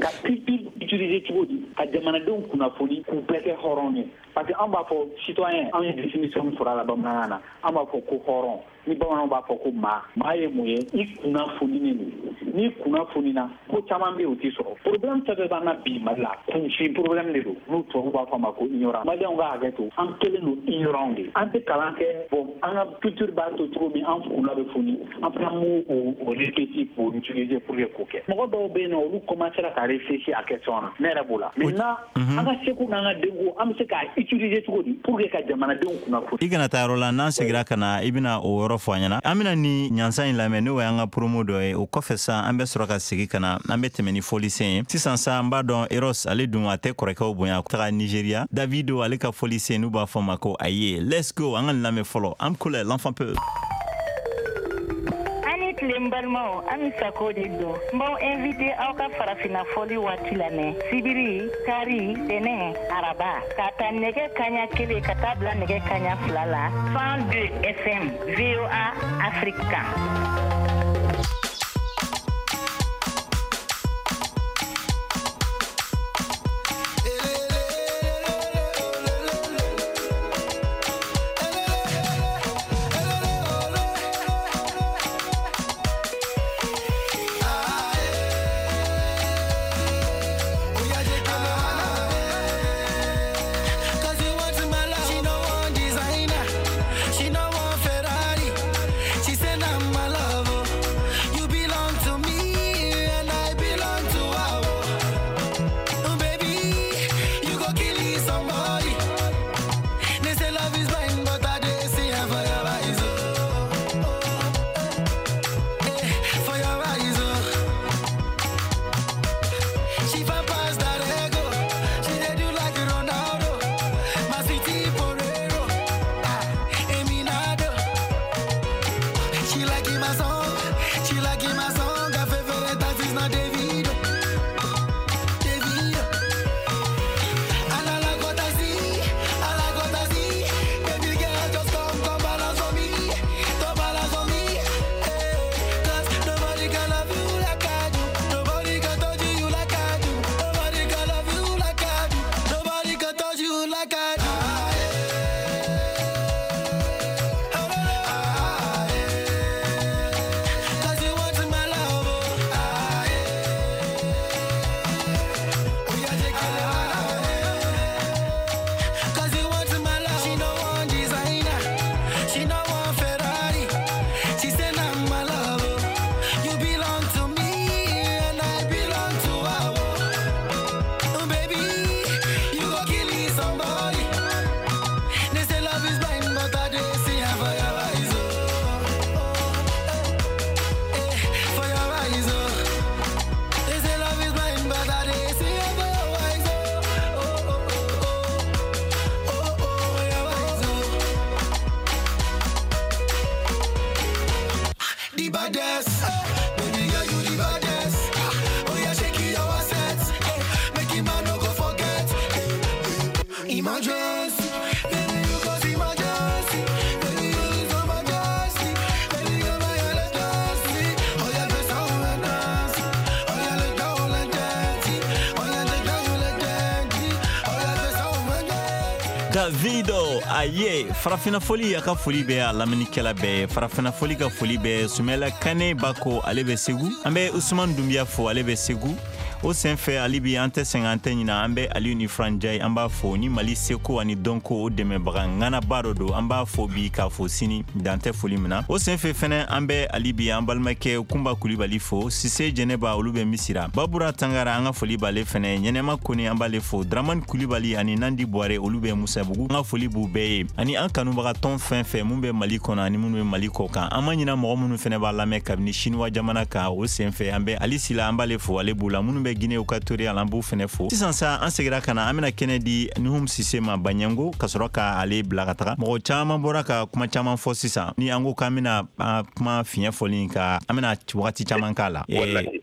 ka culture utiliser cogo di ka jamanadenw kunnafoni k'u bɛɛ kɛ hɔrɔn ye, parce que an b'a fɔ citoyen, an ye définition min sɔrɔ a la bamanankan na, an b'a fɔ ko hɔrɔn, ni bamananw b'a fɔ ko maa. Maa ye mun ye? I kunnafoninen don. N'i kunnafonina, ko caman bɛ yen, o t'i sɔrɔ. Problème fɛn fɛn b'an na bi Mali la, kunfin problème de don, n'u tubabu b'a fɔ a ma ko ignorant. Maliyɛnw ka hakɛ to, an kɛlen don ignorant de, an tɛ kalan kɛ. Bon, an ka culture b'a to cogo min an kunna bɛ foni, an fana m'o o réfléchir k'o utiliser pour que k'o kɛ. Mɔgɔ dɔw bɛ yen nɔ, olu commencera ka réfléchir a question na, ne yɛrɛ b'o la. Maintenant, an ka seko n'an ka denko, an bɛ se k'a utiliser cogo di pour que ka jamanadenw kunnafoni? I kana taa yɔrɔ la, n'an segira ka na, i bɛna o yɔrɔ fɔ an ɲɛna. An bɛna ni ɲansan in lamɛn, n'o y'an ka promo dɔ ye. O kɔfɛ sa, an bɛ sɔrɔ ka segin ka na, an bɛ tɛmɛ ni fɔlisen ye sisan sa. An b'a dɔn Eros, ale dun a tɛ kɔrɔkɛw bonya, taga Nigeria. Davido, ale ka fɔlisen, n'u b'a fɔ ma ko Aye. Let's go, an ka nin lamɛn fɔlɔ. An kole l'enfant peu. Ani tile, n balimaw, an bɛ Sako de don. N b'aw invité aw ka farafinna fɔli waati lamɛn sibiri, kari, tɛnɛ, araba, k'a ta nɛgɛ kaɲa 1 ka taa bila nɛgɛ kaɲa 2 la, 102 FM, VOA Afrique kan. Cause you want my love. She no want designer. She no want She fine past that ego. She dey do like Ronaldo. My sweetie Porero. Ah, Eminado. She like my song. She like my song. Her favorite artist na Davido. Davido. And I like what I see. I like what I see. Baby girl, just come, come balance on me. Come balance on me. Hey, 'cause nobody can love you like I do. Nobody can touch you like I do. Nobody can love you like I do. Nobody can touch you like I do. Ah, eh. Oh, no, no. Ah, eh. 'Cause you want my love, oh. Ah, eh. Oh, yeah, take it, ah, eh. 'Cause you want my love. She no want designer. She no want Ferrari. She said, I'm my love. oh. You belong to me and I belong to her. Oh, baby, you go kill me somebody. They say love is blind, but I dey see her for your eyes. Oh, oh, eh, eh, for your eyes. Oh. They say love is blind, but I dey see her for your eyes. Oh, oh, oh, oh, oh, oh, oh, your eyes. Oh. The baddest, baby girl, you the baddest. Oh yeah, shake your assets, make him man no go forget. Emergency, baby you cause emergency, baby you is emergency, baby you my emergency. Oh yeah, dress down and dance, oh yeah, let go and dance, oh yeah, let go and dance, oh yeah, dress down and dance. Davido aye Farafina Foli a ka foli bɛ a lamɛnnikɛla bɛɛ ye. Farafina Foli ka foli bɛ Sumɛla Kane Bako, ale bɛ Segu. An bɛ Usman Dunbiya fo, ale bɛ Segu. O senfɛ hali bi an tɛ sɛgɛn, an tɛ ɲina, an bɛ Aliyu ni Franjai, an b'a fo ni Mali seko ani dɔnko o dɛmɛbaga ŋanaba dɔ don. An b'a fo bi k'a fo sini, dan tɛ foli min na. O senfɛ fɛnɛ an bɛ hali bi an balimakɛ Kunba Kulibali fo, Sise Jɛnɛba, olu bɛ Misira, Babura Tangara, an ka foli b'ale fɛnɛ, Ɲɛnɛma Kone, an b'ale fo, Dramani Kulibali ani Nandi Buware, olu bɛ Musabugu. An ka foli b'u bɛɛ ye ani an kanubaga tɔn fɛn fɛn mun bɛ Mali kɔnɔ ani minnu bɛ Mali kɔ kan. An ma ɲina mɔgɔ minnu fɛnɛ b'a lamɛn kabini Siniwa jamana kan. O senfɛ an bɛ Ali Sila, an b'ale fo, ale b'u la. Minnu bɛ Guinée Équatoriale, an b'u fɛnɛ fo. Sisan sa an segira ka na, an bɛna kɛnɛ di Nuhum Sise ma Baɲango ka sɔrɔ ka ale bila ka taga. Mɔgɔ caman bɔra ka kuma caman fɔ sisan. Ni an ko k'an bɛna an kuma fiɲɛ fɔli ka, an bɛna wagati caman k'a la.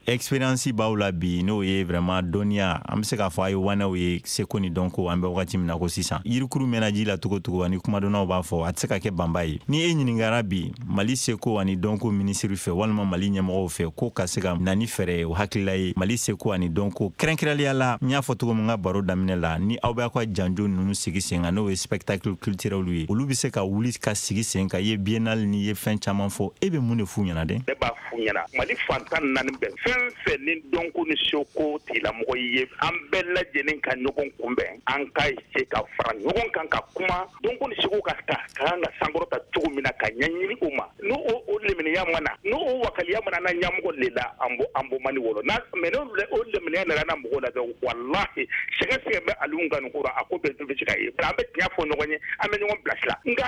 Expérience b'aw la bi, n'o ye vraiment dɔnniya, an bɛ se k'a fɔ a ye wanɛw ye seko ni dɔnko. An bɛ wagati min na ko sisan, yirikuru mɛnna ji la cogo cogo, ani kumadɔnnaw b'a fɔ a tɛ se ka kɛ banba ye. Ni e ɲininkara bi Mali seko ani dɔnko minisiri fɛ walima Mali ɲɛmɔgɔw fɛ ko ka se ka na ni fɛɛrɛ ye, o hakilila ye Mali seko ani dɔnko kɛrɛnkɛrɛnliya la, n y'a fɔ cogo min n ka baro daminɛ la, ni aw b'a ka janjo ninnu sigi sen kan, n'o ye spectacle culturel ye, olu bɛ se ka wuli ka sigi sen kan. I ye biennale ni ye fɛn caman fɔ, e bɛ mun de f'u ɲɛna dɛ? Ne b'a f'u ɲɛna, Mali fantan naani bɛɛ, fɛn fɛn ni dɔnko ni seko tigilamɔgɔ ye, an bɛɛ lajɛlen ka ɲɔgɔn kunbɛn, an ka se ka fara ɲɔgɔn kan ka kuma dɔnko ni seko ka ta ka kan ka sankɔrɔta cogo min na ka ɲɛɲini o ma. N'o o leminiya mana, n'o o wakaliya mana na ɲɛmɔgɔ le la, an bɔ mani wɔlɔ n'a mɛ n'o o leminiya nana na mɔgɔw la dɔrɔn, walahi sɛgɛ sɛgɛ bɛ Aliyu ka nin ko la, a ko bɛɛ bɛ se ka ye. An bɛ tiɲɛ fɔ ɲɔgɔn ye, an bɛ ɲɔgɔn bilasira. Nka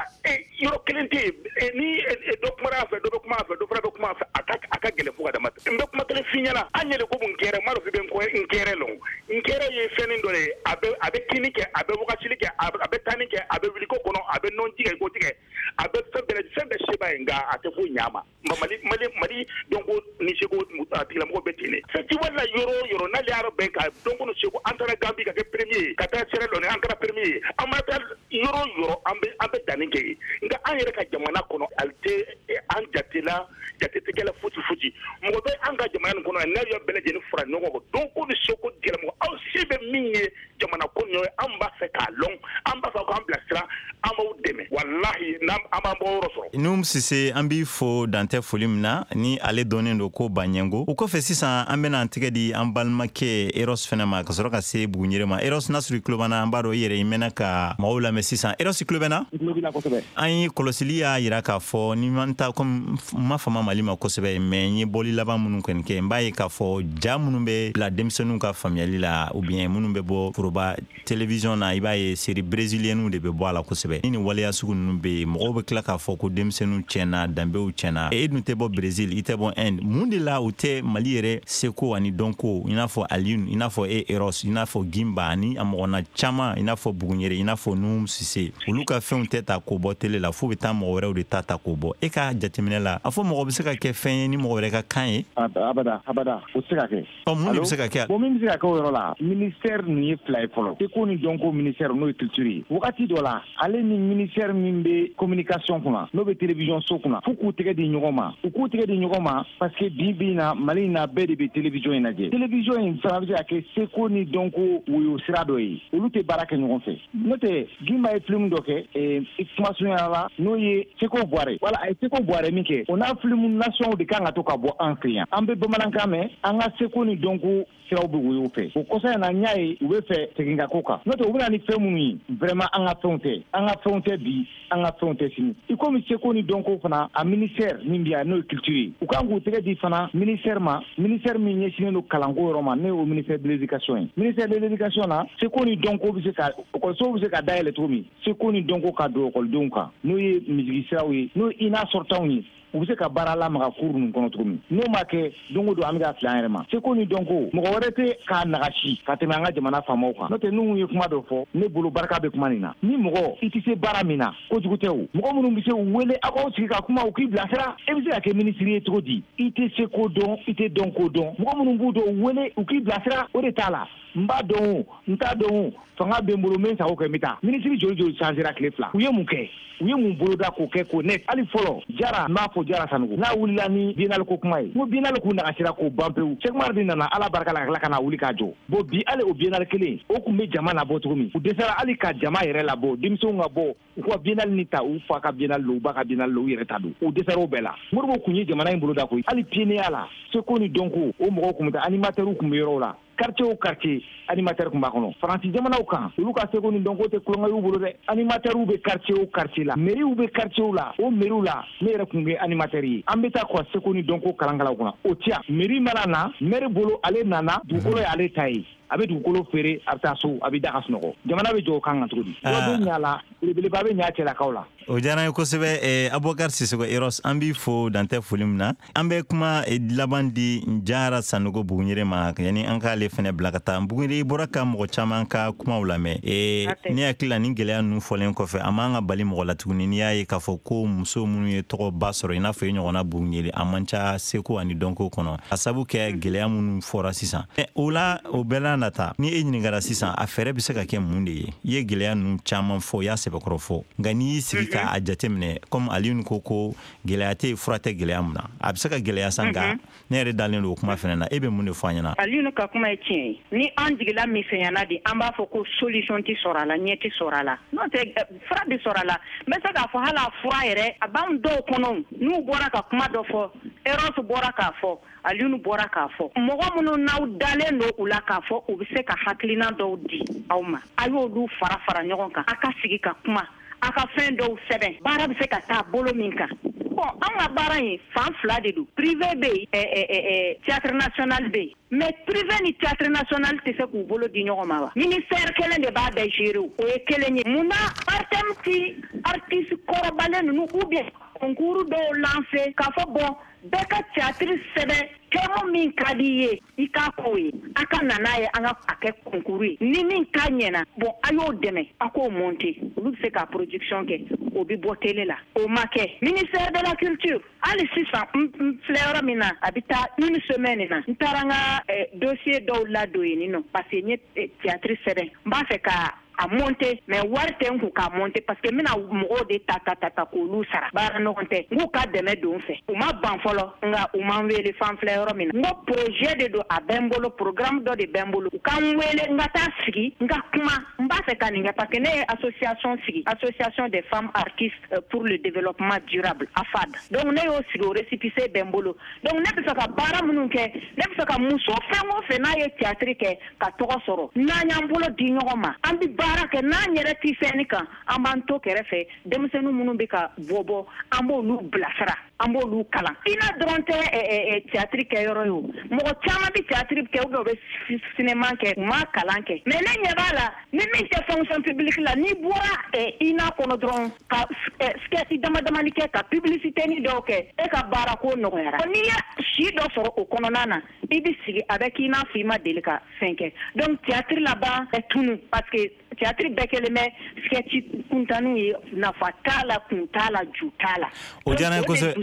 yɔrɔ kelen tɛ yen, ni dɔ kumara a fɛ, dɔ bɛ kuma a fɛ, dɔ fana bɛ kuma a fɛ, a ka gɛlɛn fo ka dama tɛmɛ. N bɛ kuma kelen f'i ɲɛna, an yɛrɛ ko n kɛrɛ, n m'a dɔn k'i bɛ n kɛrɛ lɔn. N kɛrɛ ye fɛnnin dɔ de ye, a bɛ kinni kɛ, a bɛ wagasili kɛ, a bɛ tanni kɛ, a bɛ wuliko kɔnɔ, a bɛ nɔnji kɛ, ko tigɛ, a bɛ fɛn bɛɛ fɛn bɛɛ seba ye, nka a tɛ foyi ɲɛ a ma. Mali dɔnko ni seko a tigilamɔgɔ bɛ ten de. Festival la yɔrɔ o yɔrɔ n'ale y'a bɛn ka dɔnko ni seko, an taara Gambie ka kɛ premier ye, ka taa Sierra Leone an kɛra premier ye, an ma taa yɔrɔ o yɔrɔ an bɛ danni kɛ yen. Nka an yɛrɛ ka jamana kɔnɔ, ale tɛ an jate la, jate tɛ kɛla fosi fosi. Mɔgɔ bɛ an ka jamana nin kɔnɔ yan, n'a y'aw bɛɛ lajɛlen fara ɲɔgɔn kan, dɔnko ni seko tigilamɔgɔ, aw se bɛ min ye jamana ko nin ye, an b'a fɛ k'a lɔn, an b'a fɛ k'an bilasira, an b'aw dɛmɛ, walahi n'an an b'an bɔ yɔrɔ sɔrɔ. Nuhum Sise, an b'i fo dantɛ foli min na, ni ale dɔnnen don ko Baɲɛngo. O kɔfɛ sisan an bɛna an tɛgɛ di an balimakɛ Eros fɛnɛ ma ka sɔrɔ ka se Buguɲere ma. Eros, n'a sɔrɔ i tulo b'an na, an b'a dɔn i yɛrɛ i mɛnna ka maaw lamɛn sisan. Eros, i tulo bɛ n na? N tulo b'i la kosɛbɛ. An ye kɔlɔsili y'a yira k'a fɔ ni ma ta comme n ma fama Mali ma kosɛbɛ, mais n ye bɔli laban minnu kɔni kɛ, n b'a ye k'a fɔ ja minnu bɛ bila denmisɛnninw ka faamuyali la ou bien minnu bɛ bɔ foroba télévision na, i b'a ye série brésilienne de bɛ bɔ a la kosɛbɛ. Ni nin wale waleya sugu ninnu bɛ yen, mɔgɔw bɛ tila k'a fɔ ko denmisɛnninw tiɲɛna, danbew tiɲɛna. E dun tɛ bɔ Brésil, i tɛ bɔ Inde. Mun de la u tɛ Mali yɛrɛ seko ani dɔnko, i n'a fɔ Alioune, i n'a fɔ e Eros, i n'a fɔ Gimba ani a mɔgɔna caman, i n'a fɔ Buguɲere, i n'a fɔ Nuhum Sise, olu ka fɛnw tɛ ta k'o bɔ télé la, f'u bɛ taa mɔgɔ wɛrɛw de ta k'o bɔ? E ka jateminɛ la, a fɔ mɔgɔ bɛ se ka kɛ fɛn ye ni mɔgɔ wɛrɛ ka kan ye? Abada, abada, o tɛ se ka kɛ. Ɔ, mun de bɛ se ka kɛ? Bon, min bɛ se ka kɛ o yɔrɔ la, ministère ninnu ye fila ye fɔlɔ. Seko ni dɔnko ministère, n'o ye culture ye, wagati dɔ la, ale ni ministère min bɛ communication kunna, n'o bɛ télévision so kunna, f'u k'u tɛgɛ di ɲɔgɔn ma, u k'u tɛgɛ di ɲɔgɔn ma, parce que bi bi in na, Mali in na, bɛɛ de bɛ télévision in lajɛ. Télévision in fana bɛ se ka kɛ seko ni dɔnko woyo sira dɔ ye. Olu tɛ baara kɛ ɲɔgɔn fɛ. N'o tɛ, Gimba ye film dɔ kɛ kuma surunya la, n'o ye Seko Buware. Wala a ye Seko Buware min kɛ, o n'a film nation de kan ka to ka bɔ an fɛ yan. An bɛ bamanankan mɛn, an ka seko ni dɔnko siraw bɛ woyo fɛ. O kɔsa in na, n y'a ye u bɛ fɛ segin ka ko kan. N'o tɛ, u bɛ na ni fɛn minnu ye, vraiment, an ka fɛnw tɛ, an ka fɛnw tɛ bi, an ka fɛnw tɛ sini. I komi seko ni dɔnko fana, a ministère min bɛ yan, n'o ye culture ye, u kan k'u tɛgɛ di fana ministère ma, ministère min ɲɛsinnen don kalanko yɔrɔ ma, n'o ye o ministère de l'éducation ye. Ministère de l'éducation na, seko ni dɔnko bɛ se ka, ekɔlisow bɛ se ka dayɛlɛ cogo min, seko ni dɔnko ka don ekɔlidenw kan, n'o ye misigi siraw ye, n'o ye ina sɔrɔtanw ye, u bɛ se ka baara lamaga cours ninnu kɔnɔ cogo min. N'o ma kɛ, don o don an bɛ ka fili an yɛrɛ ma. Seko ni dɔnko, mɔgɔ wɛrɛ tɛ k'a nagasi ka tɛmɛ an ka jamana faamaw kan. N'o tɛ, n'u ye kuma dɔ fɔ, ne bolo barika bɛ kuma nin na. Ni mɔgɔ i tɛ se baara min na, kojugu tɛ o. Mɔgɔ minnu bɛ se, u wele, aw k'aw sigi ka kuma, u k'i bilasira. E bɛ se ka kɛ minisiri ye cogo di? I tɛ se ko dɔn, i tɛ dɔn ko dɔn. Mɔgɔ minnu b'u dɔn, u wele, u k'i bilasira. O de t'a la. N b'a dɔn o, n t'a dɔn o, fanga bɛ n bolo, n bɛ n sago kɛ, n bɛ taa. Minisiri joli joli changera tile 2? U ye mun kɛ? U ye mun boloda k'o kɛ k'o net? Hali fɔlɔ Jara, n b'a fɔ Jara Sanogo, n'a wulila ni biennale ko kuma ye, n ko biennale k'u nagasira k'o ban pewu. Cheick Oumar de nana, Ala barika la, ka tila ka na wuli k'a jɔ. Bon, bi hali o biennale kelen o tun bɛ jama labɔ cogo min, u dɛsɛra hali ka jama yɛrɛ labɔ, denmisɛnw ka bɔ u ka biennale ni ta, u fa ka biennale don, u ba ka biennale don, u yɛrɛ ta don, u dɛsɛra o bɛɛ la. Modibo kun ye jamana in boloda koyi. Hali pionnier la, seko ni dɔnko, o mɔgɔw kun bɛ taa, animateurs kun bɛ yɔrɔw la, quartier o quartier animateur kun b'a kɔnɔ. Faransi jamanaw kan, olu ka seko ni dɔnko tɛ kulonkɛ y'u bolo dɛ. Animateurs bɛ quartier o quartier la, mairies bɛ quartier la, o mairies la, ne yɛrɛ kun kɛ animateur ye. An bɛ taa k'u seko ni dɔnko kalankalaw kunna. O tiya mairie mana na, maire bolo, ale nana, dugukolo ye ale ta ye, a bɛ dugukolo feere, a bɛ taa so, a bɛ da ka sunɔgɔ. Jamana bɛ jɔ o kan kan cogo di? Dɔ bɛ ɲa la, belebeleba bɛ ɲa cɛlakaw la. O diyara n ye kosɛbɛ. Abubakar Sisoko Eros, an b'i fo dantɛ foli min na. An bɛ kuma laban di Jara Sanogo Buguɲere ma, yanni an k'ale fɛnɛ bila ka taa. Buguɲere, i bɔra ka mɔgɔ caman ka kumaw lamɛn. Ne hakili la, nin gɛlɛya ninnu fɔlen kɔfɛ, a man ka bali mɔgɔ la tuguni. N'i y'a ye k'a fɔ ko muso minnu ye tɔgɔba sɔrɔ, i n'a fɔ i ɲɔgɔnna Buguɲere, a man ca seko ani dɔnko kɔnɔ, a sabu kɛ gɛlɛya minnu fɔra sisan. O la, o bɛɛ la nata, ni e ɲininkara sisan, a fɛɛrɛ bɛ se ka kɛ mun de ye? I ye gɛlɛya ninnu caman fɔ, i y'a sɛbɛkɔrɔ fɔ, nka n'i y'i sigi k'a jateminɛ, comme Alioune ko gɛlɛya tɛ yen, fura tɛ gɛlɛya mun na, a bɛ se ka gɛlɛya sa, nka ne yɛrɛ dalen don o kuma fɛnɛ na. E bɛ mun de fɔ an ɲɛna? Alioune ka kuma ye tiɲɛ ye. Ni an jigila misɛnyana de, an b'a fɔ ko solution tɛ sɔrɔ a la, ɲɛ tɛ sɔrɔ a la. N'o tɛ, fura bɛ sɔrɔ a la. N bɛ se k'a fɔ hali a fura yɛrɛ, a b'anw dɔw kɔnɔ, n'u bɔra ka kuma dɔ fɔ, Eros bɔra k'a fɔ, Alioune bɔra k'a fɔ, mɔgɔ minnu n'aw dalen don u la k'a fɔ u bɛ se ka hakilina dɔw di aw ma, a y'olu fara fara ɲɔgɔn kan, a ka sigi ka kuma, a ka fɛn dɔw sɛbɛn, baara bɛ se ka taa bolo min kan. Bon, an ka baara in fan fila de don. Privé bɛ yen, théâtre national bɛ yen, mais privé ni théâtre national tɛ se k'u bolo di ɲɔgɔn ma wa? Ministère kelen de b'a bɛɛ gérer, o ye kelen ye. Mun na Artem ti artiste kɔrɔbalen ninnu ou bien concours dɔw lancer k'a fɔ bon, bɛɛ ka théâtre sɛbɛn, thème min ka di i ye, i k'a k'o ye, a ka na n'a ye, an ka a kɛ concours ye, ni min ta ɲɛna, bon, a y'o dɛmɛ, a k'o monter, olu bɛ se ka production kɛ, o bɛ bɔ télé la. O ma kɛ. Ministère de la culture, hali sisan n filɛ yɔrɔ min na, a bɛ taa une semaine na, n taara n ka dossier dɔw ladon yen nɔ, parce que n ye théâtre sɛbɛn, n b'a fɛ ka a monter, mais wari tɛ n kun k'a monter, parce que n bɛna mɔgɔw de ta ta ta ta k'olu sara, baara ɲɔgɔn tɛ. N k'u ka dɛmɛ don n fɛ, u ma ban fɔlɔ, nka u ma n wele. Fan filɛ yɔrɔ min na, n ko projet de don, a bɛ n bolo, programme dɔ de bɛ n bolo, u ka n wele, n ka taa sigi, n ka kuma, n b'a fɛ ka nin kɛ, parce que ne ye association sigi, association des femmes artistes pour le développement durable, AFAD. Donc ne y'o sigi, o récépissé bɛ n bolo. Donc ne bɛ fɛ ka baara minnu kɛ, ne bɛ fɛ ka muso fɛn o fɛn n'a ye théâtre kɛ ka tɔgɔ sɔrɔ, n'an y'an bolo di ɲɔgɔn ma, an bɛ baara kɛ, n'an yɛrɛ ti fɛn kan, an b'an to kɛrɛfɛ, denmisɛnnin minnu bɛ ka bɔ bɔ, an b'olu bilasira. An b'olu kalan. INA dɔrɔn tɛ théâtre kɛyɔrɔ ye o. Mɔgɔ caman bɛ théâtre kɛ ou bien u bɛ cinéma kɛ, u ma kalan kɛ. Mais ne ɲɛ b'a la, ni min tɛ fonction publique la, n'i bɔra INA kɔnɔ dɔrɔn ka sketch dama damani kɛ, ka publicité ni dɔw kɛ, e ka baara ko nɔgɔyara. N'i ye si dɔ sɔrɔ o kɔnɔna na, i bɛ sigi a bɛ k'i n'a fɔ i ma deli ka fɛn kɛ. Donc théâtre laban bɛ tunu, parce que théâtre bɛɛ kɛlen bɛ sketch kuntanniw ye, nafa t'a la, kun t'a la, ju t'a la. O diyara n ye kosɛbɛ.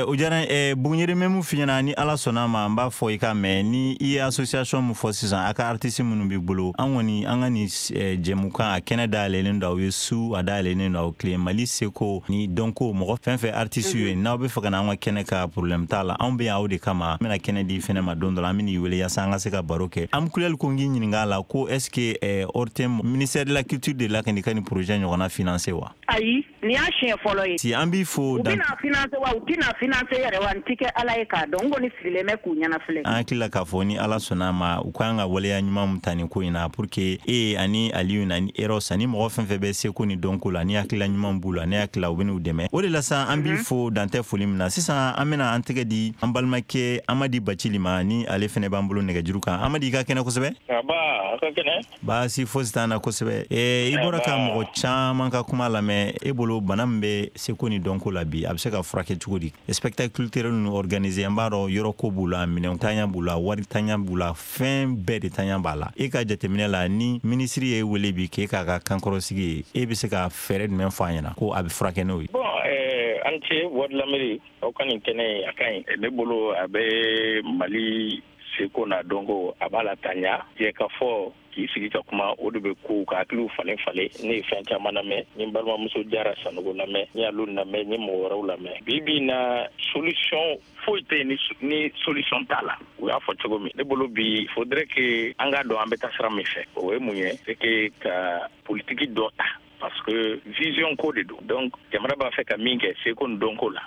O diyara n ye. Buguɲere, bɛ mun f'i ɲɛna? Ni Ala sɔnna a ma, n b'a fɔ i ka mɛn ni i ye association min fɔ sisan, a ka artiste minnu b'i bolo, an kɔni an ka nin jɛmukan, a kɛnɛ dayɛlɛlen don aw ye su, a dayɛlɛlen don aw tile. Mali seko ni dɔnko, mɔgɔ fɛn fɛn artiste ye, n'aw bɛ fɛ ka na an ka kɛnɛ ka, problème t'a la, anw bɛ yan aw de kama. An bɛna kɛnɛ di fɛnɛ ma don dɔ la, an bɛn'i wele yaasa an ka se ka baro kɛ. An kulɛli ko n k'i ɲininka a la ko est ce que ORTM, ministère de la culture de la ka nin ka nin projet ɲɔgɔnna financer wa? Ayi, nin y'a siɲɛ fɔlɔ ye. Si an b'i fo. U bɛna financer wa, u tɛna financer yɛrɛ wa, n ti kɛ Ala ye k'a dɔn. N kɔni sigilen bɛ k'u ɲɛna filɛ. An hakili la k'a fɔ ni Ala sɔnna a ma, u kan ka waleya ɲuman mun ta nin ko in na pour que e ani Aliyu ani Eros ani mɔgɔ fɛn fɛn bɛ seko ni dɔnko la, ni hakilila ɲuman b'u la, ne hakili la u bɛn'u dɛmɛ o de la sa. An b'i fo dantɛ foli min na. Sisan an bɛna an tɛgɛ di an balimakɛ Amadi Bacili ma, ni ale fɛnɛ b'an bolo nɛgɛjuru kan. Amadi, i ka kɛnɛ kosɛbɛ. Aba, a ka kɛnɛ. Baasi fosi t'an na kosɛbɛ. I bɔra ka mɔgɔ caman ka kuma lamɛn. E bolo, bana min bɛ seko ni dɔnko la bi, a bɛ se ka furakɛ cogo di? Spectacle culturel ninnu organiser, an b'a dɔn yɔrɔ ko b'u la, minɛn tanya b'u la, wari tanya b'u la, fɛn bɛɛ de tanya b'a la. E ka jateminɛ la, ni minisiri ye wele bi k'e k'a ka kankɔrɔsigi ye, e bɛ se ka fɛɛrɛ jumɛn fɔ a ɲɛna ko a bɛ furakɛ n'o ye? Bon, an ce Voix de l'Amérique, aw ka nin kɛnɛ a ka ɲi. Ne bolo, a bɛ Mali seko n'a dɔnko, a b'a la taɲa. Jɛ ka fɔ k'i sigi ka kuma, o de bɛ kow ka hakiliw falen falen. Ne ye fɛn caman lamɛn, n ye n balimamuso Jara Sanogo lamɛn, n ye Alu lamɛn, n ye mɔgɔ wɛrɛw lamɛn. Bi bi in na, solution foyi tɛ yen ni solution t'a la. U y'a fɔ cogo min, ne bolo bi, faudrait que an k'a dɔn an bɛ taa sira min fɛ. O ye mun ye? C'est que ka politique dɔ ta, parce que vision ko de don. Donc jamana b'a fɛ ka min kɛ seko ni dɔnko la,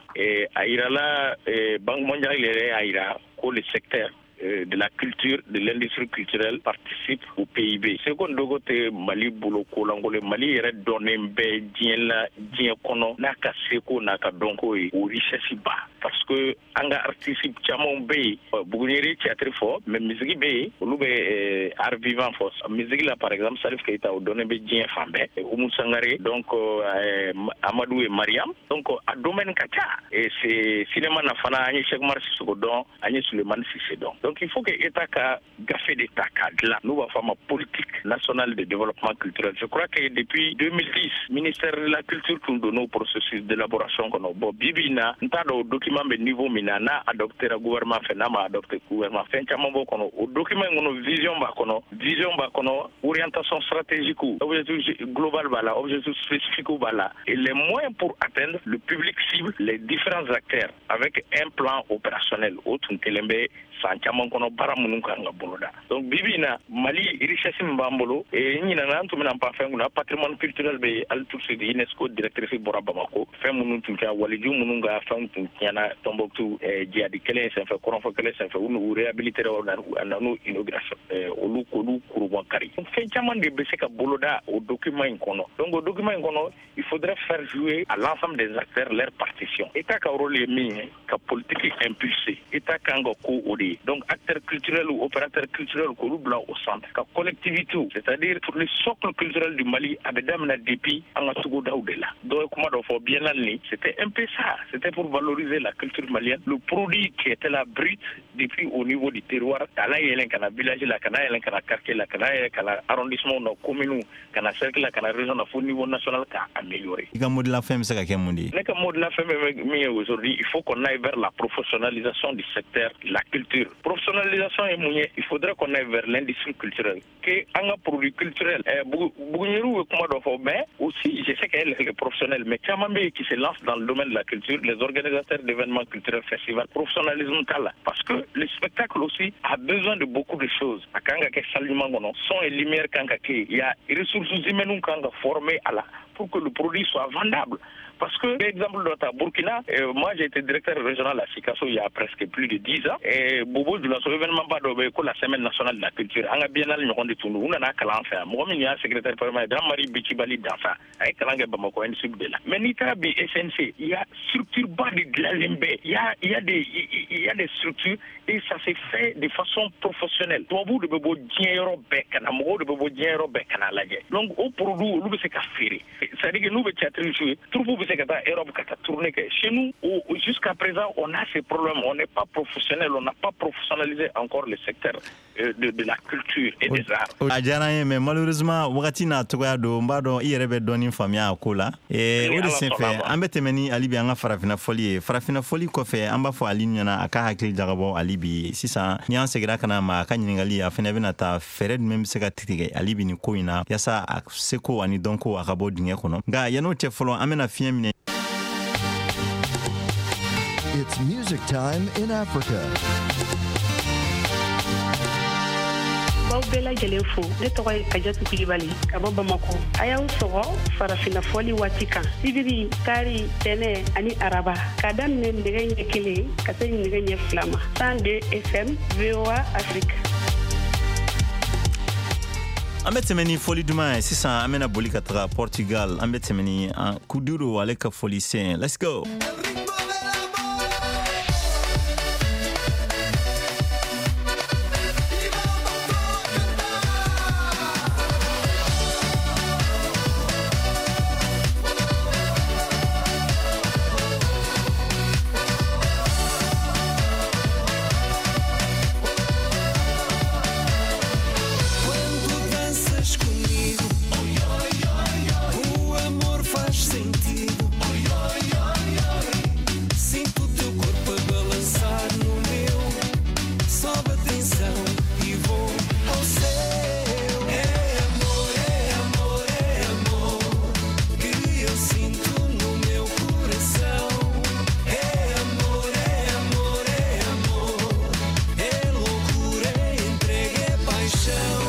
a yirala, Banque mondiale yɛrɛ y'a yira ko le secteur de la culture, de l'industrie culturelle participe au PIB. Seko ni dɔnko tɛ Mali bolo kolankolon. Mali yɛrɛ dɔnnen bɛ diɲɛ la, diɲɛ kɔnɔ, n'a ka seko n'a ka dɔnko ye, o richesse ba. Parce que an ka artiste camanw bɛ yen, Buguɲeri théâtre fɔ, mais musique bɛ yen, olu bɛ art vivant fɔ. Musique la, par exemple, Salif Keita, o dɔnnen bɛ diɲɛ fan bɛɛ. Oumou Sangare, donc Amadou et Mariam. Donc a domaine ka ca. Et c'est cinéma na fana, an ye Cheikh Oumar Sissoko dɔn, an ye Souleymane Cissé dɔn. Donc il faut que État ka gafe de ta k'a dilan, n'u b'a fɔ a ma politique nationale de développement culturel. Je crois que depuis 2010, ministère de la culture tun donn'o processus d'élaboration kɔnɔ. Bon, bi bi in na, n t'a dɔn o document bɛ niveau min na, n'a adoptera gouvernement fɛ, n'a ma adopté gouvernement, fɛn caman b'o kɔnɔ. O document in kɔnɔ, vision b'a kɔnɔ, vision b'a kɔnɔ, orientation stratégique, objectif global b'a la, objectif spécifique b'a la, et les moyens pour atteindre le public cible, les différents acteurs, avec un plan opérationnel. O tun kelen bɛ san caman kɔnɔ, baara minnu kan ka boloda. Donc bi bi in na, Mali richesse min b'an bolo, n ɲinana, an tun bɛna pan fɛn kunna, patrimoine culturel bɛ yen. Hali tout de suite, UNESCO directrice bɔra Bamako. Fɛn minnu tun kɛra, waliju minnu ka fɛnw tun tiɲɛna Tombouctou jihadi kɛlɛ in senfɛ, kɔrɔnfɛ kɛlɛ senfɛ, u n'u réhabilité, a nan'u inauguration, olu k'olu kurubɔ kari. Fɛn caman de bɛ se ka boloda o document in kɔnɔ. Donc o document in kɔnɔ, il faudrait faire jouer à l'ensemble des acteurs leur partition. État ka rôle ye min ye, ka politique impulser, État kan ka ko o de ye. Donc acteurs culturels ou opérateurs culturels, k'olu bila au centre, ka collectivité, c'est-à-dire le socle culturel du Mali, a bɛ daminɛ depuis an ka togodaw de la. Dɔ ye kuma dɔ fɔ, biennale ni, c'était un peu ça, c'était pour valoriser la culture malienne, le produit qui était là brut depuis au niveau du terroir, k'a la yɛlɛn ka na village la, ka na yɛlɛn ka na quartier la, ka na yɛlɛn ka na arrondissement na, commune, ka na cercle la, ka na région na, fo niveau national, k'a améliorer. I ka mot de la fin bɛ se ka kɛ mun de ye? Ne ka mot de la fin bɛ min ye aujourd'hui, il faut qu'on aille vers la professionnalisation du secteur de la culture. Professionnalisation ye mun ye? Il faudrait qu'on aille vers l'industrie culturelle, que an ka produit culturel, Buguɲeriw ye kuma dɔ fɔ, mais aussi je sais qu'elle est professionnelle, mais caman bɛ yen qui se lance dans le domaine de la culture, les organisateurs d'événements culturels, festivals, professionnalisme t'a la, parce que le spectacle aussi a besoin de beaucoup de choses. A kan ka kɛ salle ɲuman kɔnɔ, son et lumière kan ka kɛ, il y a ressources humaines kan ka former a la pour que le produit soit vendable. Parce que, exemple dɔ ta, Burkina, moi j'ai été directeur régional à Sikasso il y a presque plus de 10 ans. Et Bobo Dioulasso, événement ba dɔ bɛ yen ko la semaine nationale de la culture, an ka biennale ɲɔgɔn de tun don. U nana kalan an fɛ yan. Mɔgɔ min y'a secrétaire permanent, Jean-Marie Bicibali Danfa, a ye kalan kɛ Bamakɔ INSUP de la. Mais n'i taara bi SNC, il y a structure ba de dilanlen bɛ. Il y a des structures et ça s'est fait de façon professionnelle. Tubabuw de bɛ bɔ diɲɛ yɔrɔ bɛɛ ka na, mɔgɔw de bɛ bɔ diɲɛ yɔrɔ bɛɛ ka na lajɛ. Donc o produit olu bɛ se ka feere. C'est-à-dire que n'u bɛ théâtre jouer, troupe bɛ se ka taa Europe ka taa tourner kɛ. Chez nous, jusqu'à présent, on a ces problèmes. On n'est pas professionnel, on n'a pas professionnalisé encore le secteur de la culture et des arts. A diyara n ye, mais malheureusement wagati n'a cogoya don. N b'a dɔn i yɛrɛ bɛ dɔɔni faamuya a ko la. O de senfɛ, an bɛ tɛmɛ ni hali bi an ka farafinna fɔli ye. Farafinna fɔli kɔfɛ, an b'a fɔ Ali ɲɛna a ka hakili jagabɔ hali bi. Sisan ni an seginna ka na ma, a ka ɲininkali a fɛnɛ bɛna taa fɛɛrɛ jumɛn bɛ se ka tigɛ hali bi nin ko in na, yaasa a seko ani dɔnko a ka bɔ dingɛ kɔnɔ. Nka yann'o cɛ fɔlɔ, an bɛna fiɲɛ minɛ. It's music time in Africa. B'aw bɛɛ lajɛlen fo. Ne tɔgɔ ye Kajatu Kulibali ka bɔ Bamako. A y'aw sɔgɔ farafinna fɔli waati kan, sibiri, kari, tɛnɛ ani araba, ka daminɛ nɛgɛ ɲɛ 1 ka se nɛgɛ ɲɛ 2 ma, 102 FM, VOA Afrique. An bɛ tɛmɛ ni fɔli duman ye sisan. An bɛna boli ka taga Portugal. An bɛ tɛmɛ ni Kuduro ale ka fɔli sen. Let's go. Quando danças comigo, o amor faz sentido. Sinto o teu corpo a balançar no meu. Sobe a tensão e vou ao céu. É amor, é amor, é amor que eu sinto no meu coração. É amor, é amor, é amor. É loucura, é entrega, é paixão.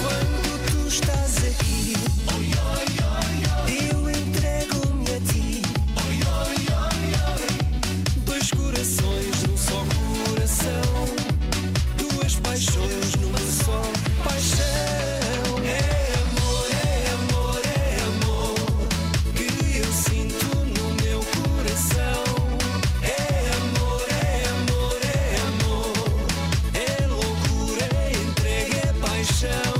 Quando tu estás aqui, eu entrego-me a ti. Dois corações num só coração, duas paixões numa só paixão. É amor, é amor, é amor que eu sinto no meu coração. É amor, é amor, é amor. É loucura, é entrega, é paixão.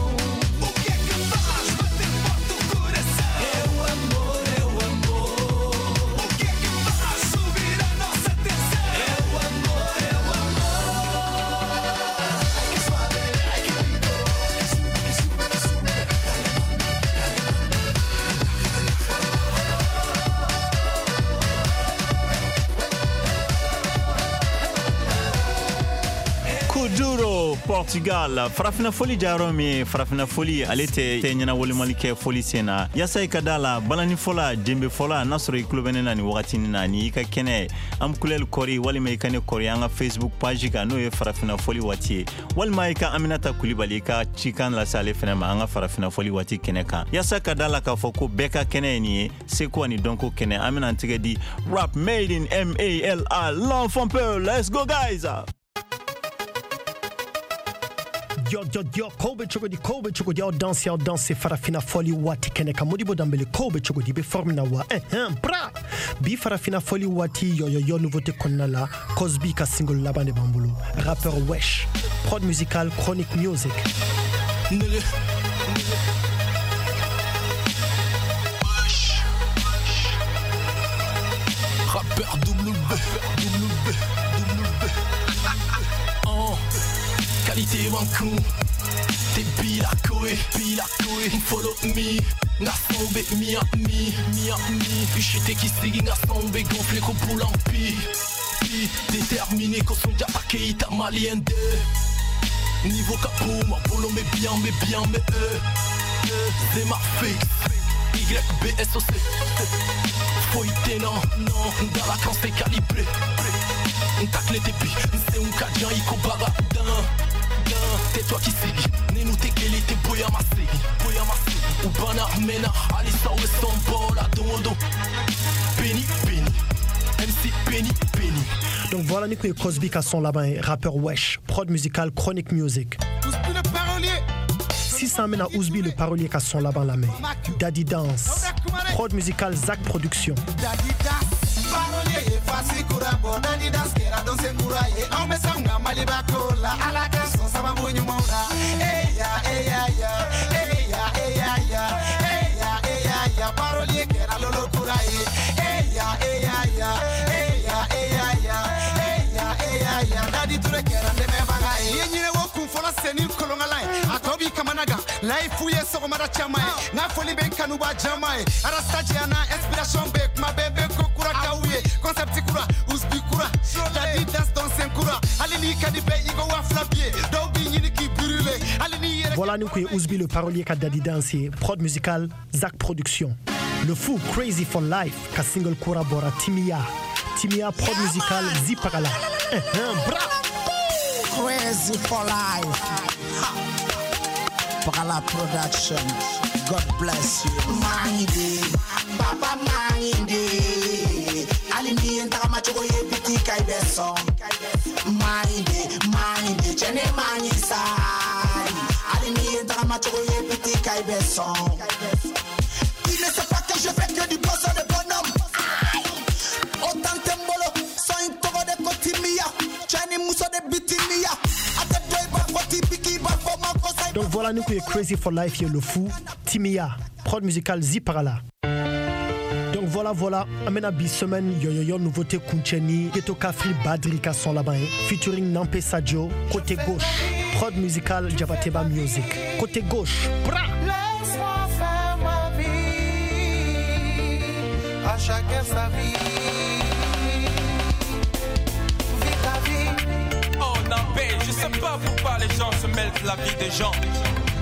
O que é que faz bater forte o coração? É o amor, é o amor. O que é que faz subir a nossa tensão? É o amor, é o amor. Ai que suave, ai que rico, que sube, que sube, que sube. Kuduro, Portugal. Farafina foli jayɔrɔ min ye, farafina foli ale tɛ ɲɛna wolimali kɛ foli sen na, yaasa i ka da la balani fɔla, jenbe fɔla, n'a sɔrɔ i tulo bɛ ne na nin wagatinin na, ni i ka kɛnɛ an kulɛli kɔri, walima i ka ne kɔri an ka Facebook page kan, n'o ye farafina foli waati ye, walima i ka Aminata Kulibali i ka cikan lase ale fɛnɛ ma an ka farafina foli waati kɛnɛ kan, yaasa ka da la k'a fɔ ko bɛɛ ka kɛnɛ ye nin ye, seko ani dɔnko kɛnɛ. An bɛna an tɛgɛ di rap made in Mali, l'enfant peu. Let's go guys. Yo, yo, yo, ko bɛ cogo di? Ko bɛ cogo di? Aw danse, aw danse farafina fɔli waati kɛnɛ kan. Modibo Danbele, ko bɛ cogo di? I bɛ forme na wa? Ɛhɛn, bra bi farafina fɔli waati, yo yo yo, nouveauté kɔnɔna la, Cosby ka single laban de b'an bolo, rappeur Wesh, prod musical Chronic Music. Nigga. Rappeur W, W, W. Oh, qualité Wankun. T'es bila koé, bila koé. Follow me. Nga sombe Miami, Miami. Ushite kisigi nga sombe gonflé ko poulampi. Pi, déterminé ko sonja Keita malien de. Niveau capot, ma bolo mais bien, mais bien, mais c'est ma fixe. Y, B, S, O, C. Foyi tɛ na, non, n dala kan c'est calibré. N ta clé tɛ bi, n senw ka jan i ko baga. Dan, dan, tais-toi qui segi. Ne n'u tɛ kelen tɛ bonya ma segin, bonya ma segin. U banna a mɛnna, halisa u bɛ sɔn bɔ la don o don. Béni, béni, MC Béni, Béni. Donc voilà Nico et Cosby qui sont là-bas, rappeur Wesh, prod musical Chronic Music. 600 mènes à Ousby le parolier qui sont là-bas la main. Daddy Dance, prod musical Zach Production. Daddy Dance, parolier ye fasi kura bɔ. Daddy Dance kɛra dɔnsen kura ye. Anw bɛ s'anw ka Maliba ko la. Ala ka sɔn sababu ɲumanw na. Eya, eya, ya. Eya, eya, ya. Eya, eya, ya. Parolier kɛra lolo kura ye. Eya, eya, ya. Eya, eya, ya. Eya, eya, ya. Daddy Touré kɛra dɛmɛbaga ye. I ye ɲinɛ wo kun fɔlɔ sen ni kolonkala ye. A tɔ b'i kamana gan. Layifu ye sɔgɔmada caman ye. N ka foli bɛ n kanuba jama ye. Arasta jɛna inspiration bɛ kuma bɛɛ bɛ ko kura k'aw ye. Concept kura, Ousby kura, Daddy Dance dɔnsen kura. Hali n'i ka di bɛɛ i ko 2000 bi ye. Dɔw b'i ɲini k'i brûler. Hali n'i yɛrɛ. Voilà nous qui est Ousby le parolier ka Daddy Dance ye. Prod musical Zach Production. Le Fou Crazy for Life ka single kura bɔra Timia. Timia prod musical Zipagala. Bra. Crazy for life. Ha. Pagala Production. God bless you. Mangide, Papa Mangide. Ali ni ntaka machogo ye piti kai beso. Mangide, Mangide, chene mangisa. Ali ni ntaka machogo ye piti kai beso. Il ne sait pas que je fais que du poisson de bonhomme. Autant tembolo, sans une togo de kotimia. Chani muso de bitimia. Donc voilà, nous qui est Crazy for Life, le Fou, Timia, prod musicale Ziparala. Donc voilà, amena bi semaine, yo yo yo, nouveauté Kuncheni, Ghetto Kafri Badrika sont là-bas, featuring Nampé Sadio, côté gauche, prod musicale Jabateba Music, côté gauche, bra! Laisse-moi faire ma vie, à chacun sa vie. Vis ta vie. Oh Nampé, je sais pas pourquoi les gens se mêlent de la vie des gens.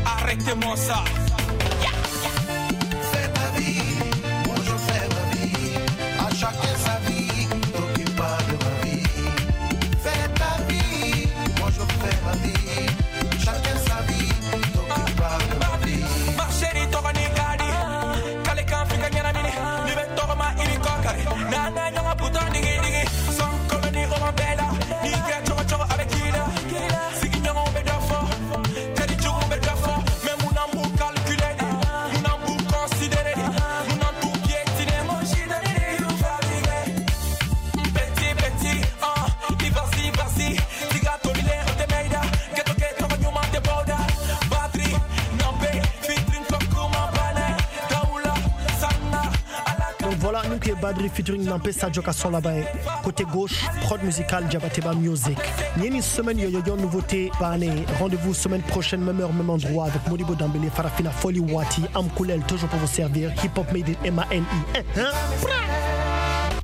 Arrêtez-moi ça. Fais ta vie, moi je fais ma vie. À chacun sa vie, t'occupe pas de ma vie. Fais ta vie, moi je fais ma vie. Chacun sa vie, t'occupe pas de ma vie. Ma chérie, t'auras ni gadi. Kale kan fika nyana mini. Ni be toma ini kokari. Na na nyanga puta digi digi. Son koloni o bella. Ni kya choco choco avec kila. Sigi nyanga be dafo. Teddy jugu be dafo. Mais mon amour calculé. Mon amour considéré. Mon amour piétiné. Mon chidani you fatigué. Petit petit, ah, il vas-y vas-y. Tiga tolile o te meida. Ghetto ghetto nyuma te boda. Batterie, Nampé, featuring Kokuma Bale. Daoula, Sanna, Alaka. Donc voilà, nous qui est Badri featuring Nampé Sadio qui sont là-bas. Côté gauche, prod musicale Jabateba Music. Ni semaine yo yo yo nouveauté bané. Rendez-vous semaine prochaine, même heure, même endroit avec Modibo Dambélé, Farafina Foli Wati, Amkoulel, toujours pour vous servir. Hip Hop Made in M-A-L-I. Hein, hein?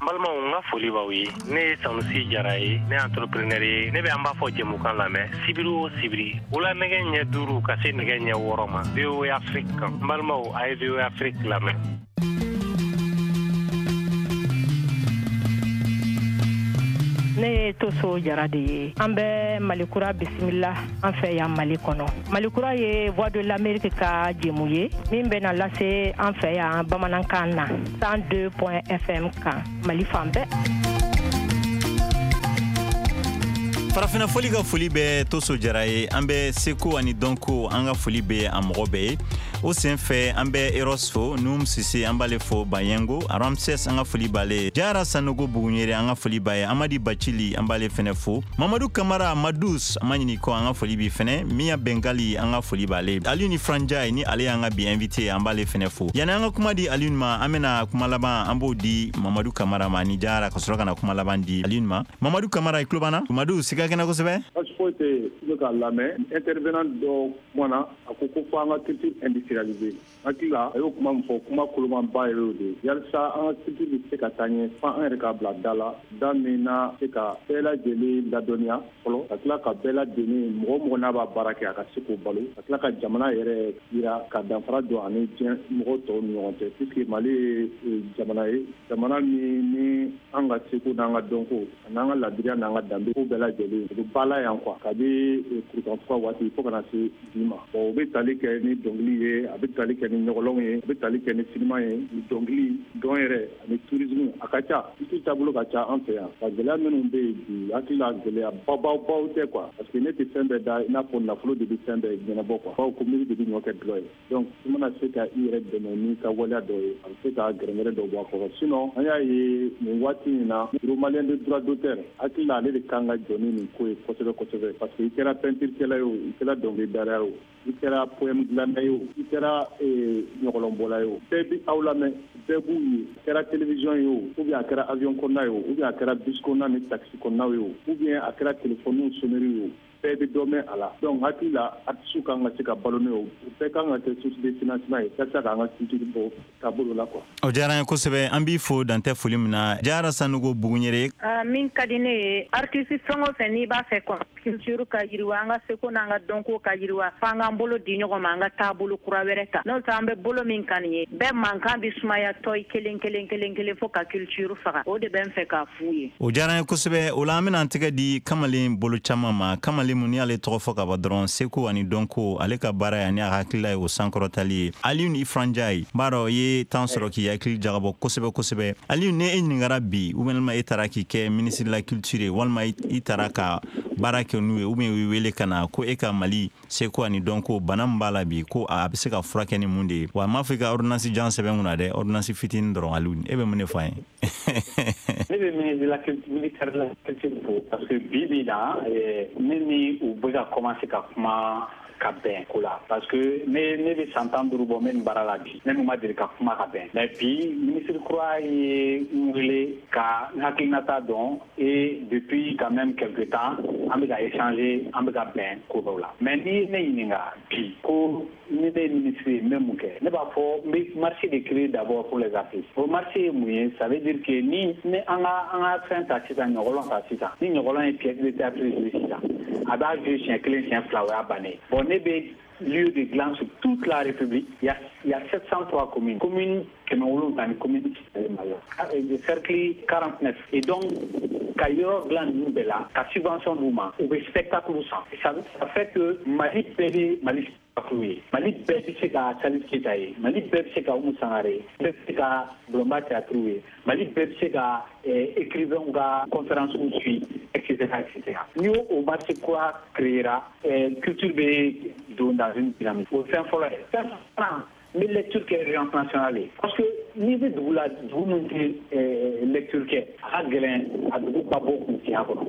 N balimaw, n ka foli b'aw ye. Ne ye Sanusi Jara ye, ne ye entrepreneur ye. Ne bɛ an b'a fɔ jɛmukan lamɛn sibiri o sibiri wula nɛgɛ ɲɛ 5 ka se nɛgɛ ɲɛ 6 ma VOA Afrique kan. N balimaw, a ye VOA Afrique lamɛn. Ne ye Toso Jara de ye. An bɛ Malikura bisimila an fɛ yan Mali kɔnɔ. Malikura ye Voix de l'Amérique ka jɛmu ye min bɛ na lase an fɛ yan bamanankan na 102 FM kan Mali fan bɛɛ. Farafina foli ka foli bɛ Toso Jara ye. An bɛ seko ani dɔnko, an ka foli bɛ a mɔgɔ bɛɛ ye. O sen fɛ an bɛ Eros fo, Num Sise an b'ale fo, Bayengo, Ramses an ka foli b'ale ye, Jara Sanogo Bugunyere an ka foli b'a ye, Amadi Bacili an b'ale fɛnɛ fo, Mamadu Kamara Madus an ma ɲini kɔ an ka foli b'i fɛnɛ, Mia Bengali an ka foli b'ale ye, Aliou ni Franjai ni ale y'an ka bi invité an b'ale fɛnɛ fo. Yani an ka kuma di Aliou ma, an bɛna kuma laban an b'o di Mamadu Kamara ma ni Jara ka sɔrɔ ka na kuma laban di Aliou ma. Mamadu Kamara, i tulo b'an na? Mamadu, siga kɛnɛ kosɛbɛ? Baasi foyi tɛ yen, i bɛ k'a lamɛn, intervenant dɔ kumana, a ko ko fo an ka culture industrialiser. Hakili la, a y'o kuma min fɔ, kuma kolomanba yɛrɛ y'o de ye. Yalisa an ka culture bɛ se ka taa ɲɛ, fo an yɛrɛ k'a bila da la, da min na se ka bɛɛ lajɛlen ladɔnniya fɔlɔ, ka tila ka bɛɛ lajɛlen, mɔgɔ o mɔgɔ n'a b'a baara kɛ, a ka se k'o balo, ka tila ka jamana yɛrɛ yira ka danfara don ani diɲɛ mɔgɔ tɔw ni ɲɔgɔn cɛ, puisque Mali ye jamana ye, jamana min ni an ka seko n'an ka dɔnko an'an ka ladiriya n'an ka danbe ko bɛɛ lajɛlen o bɛ ba la yan quoi, kabi kurukanfuga waati fo kana se bi ma. Bon, o bɛ tali kɛ ni dɔnkili ye, a bɛ tali kɛ ni ɲɔgɔlɔnw ye, a bɛ tali kɛ ni sinima ye, ni dɔnkili, dɔn yɛrɛ ani tourisme, a ka ca. Culture taabolo ka ca an fɛ yan. Ka gɛlɛya minnu bɛ yen bi, hakili la gɛlɛya bababaw tɛ quoi, parce que ne tɛ fɛn bɛɛ da i n'a fɔ nafolo de bɛ fɛn bɛɛ ɲɛnabɔ quoi, bawo ko miiri de bɛ ɲɔ kɛ dulɔ ye. Donc i mana se ka i yɛrɛ dɛmɛ n'i ka waleya dɔ ye, a bɛ se ka gɛrɛgɛrɛ dɔ bɔ a kɔrɔ. Sinon an y'a ye nin waati in na, Bureau malien de droit d'auteur, hakili la ale de kan ka jɔ ni nin ko ye kosɛbɛ kosɛbɛ, parce que i kɛra peinture kɛla ye o, i kɛra dɔnkilidala ye o, i kɛra poème dilanna ye o, i kɛra ɲɔgɔlɔnbɔla ye o, bɛɛ bɛ aw lamɛn, bɛɛ b'u ye. A kɛra télévision ye o, ou bien a kɛra avion kɔnɔna ye o, ou bien a kɛra bus kɔnɔna ni taxi kɔnɔnaw ye o, ou bien a kɛra téléphone sonnerie ye o, bɛɛ bɛ dɔ mɛn a la. Donc hakili la, artiste kan ka se ka balo n'o ye, o bɛɛ kan ka kɛ source de financement ye walasa k'an ka culture bɔ taabolo la quoi. O diyara an ye kosɛbɛ, an b'i fo dantɛ foli min na. Jara Sanogo Buguɲɛrɛ. Min ka di ne ye, artiste fɛn o fɛn n'i b'a fɛ culture ka yiriwa, an ka seko n'an ka dɔnko ka yiriwa, f'an k'an bolo di ɲɔgɔn ma, an ka taabolo kura wɛrɛ ta. N'o tɛ, an bɛ bolo min kan nin ye, bɛɛ mankan bɛ sumaya tɔ kelen kelen kelen kelen fo ka culture faga. O de bɛ n fɛ k'a f'u ye. O diyara an ye kosɛbɛ. O la, an bɛna an tɛgɛ di kamalen bolo caman ma, kamalen mun n'i y'ale tɔgɔ fɔ ka ban dɔrɔn, seko ani dɔnko, ale ka baara ye ani a hakilila ye o sankɔrɔtali ye. Alioune Ifra Ndiaye, n b'a dɔn i ye temps sɔrɔ k'i hakili jagabɔ kosɛbɛ kosɛbɛ. Alioune, ni e ɲininkara bi, ou bien e taara k'i kɛ ministre de la culture ye, walima i taara ka baara kɛ n'u ye, ou bien u y'i wele ka na ko e ka Mali seko ani dɔnko, bana min b'a la bi, ko a bɛ se ka furakɛ ni mun de ye, wa n m'a fɔ i ka ordonnance jan sɛbɛn kunna dɛ, ordonnance fitinin dɔrɔn, Alioune, e bɛ mun de fɔ an ye? Ne bɛ ministre de la culture, ministère de la culture fo, parce que bi bi na, ne ni u bɛ ka commencer ka kuma ka bɛn ko la, parce que ne bɛ san 15 bɔ n bɛ nin baara la bi, ne n'u ma deli ka kuma ka bɛn. Mais bi, ministre kura ye n wele ka n hakilinata dɔn, et depuis quand même quelque temps an bɛ ka échanger, an bɛ ka bɛn ko dɔw la. Mais ni ne ɲininka bi ko ni ne ye ministre ye, n bɛ mun kɛ, ne b'a fɔ n bɛ marché de créer d'abord pour les artistes. O marché ye mun ye? Ça veut dire que ni an ka fɛn ta sisan, ɲɔgɔlɔn ta sisan, ni ɲɔgɔlɔn ye pièce de théâtre jouer sisan, a b'a jouer siɲɛ kelen, siɲɛ fila, o y'a bannen. Bon, ne bɛ lieu de dilan sur toute la République. Il y a 703 communes. Commune 700 ni commune Mali la. Cercle 49. Et donc, ka yɔrɔ dilan ninnu bɛɛ la, ka subvention d'u ma, u bɛ spectacle san. Ça fait que Mali bɛɛ bɛ Mali spectacle ye. Mali bɛɛ bɛ se ka Salif Keita ye. Mali bɛɛ bɛ se ka Oumou Sangare ye. Bɛɛ bɛ se ka Bulonba théâtre ye. Mali bɛɛ bɛ se ka écrivain ka conférence suit, etc., etc. Ni o marché kura créera, culture bɛ don dans une dynamique. O fɛn fɔlɔ ye. Fɛn filanan, n bɛ lecture kɛ urgence nationale ye, parce que n'i bɛ dugu la, dugu min tɛ lecture kɛ, a ka gɛlɛn a dugu ka bɔ kunfinya kɔnɔ.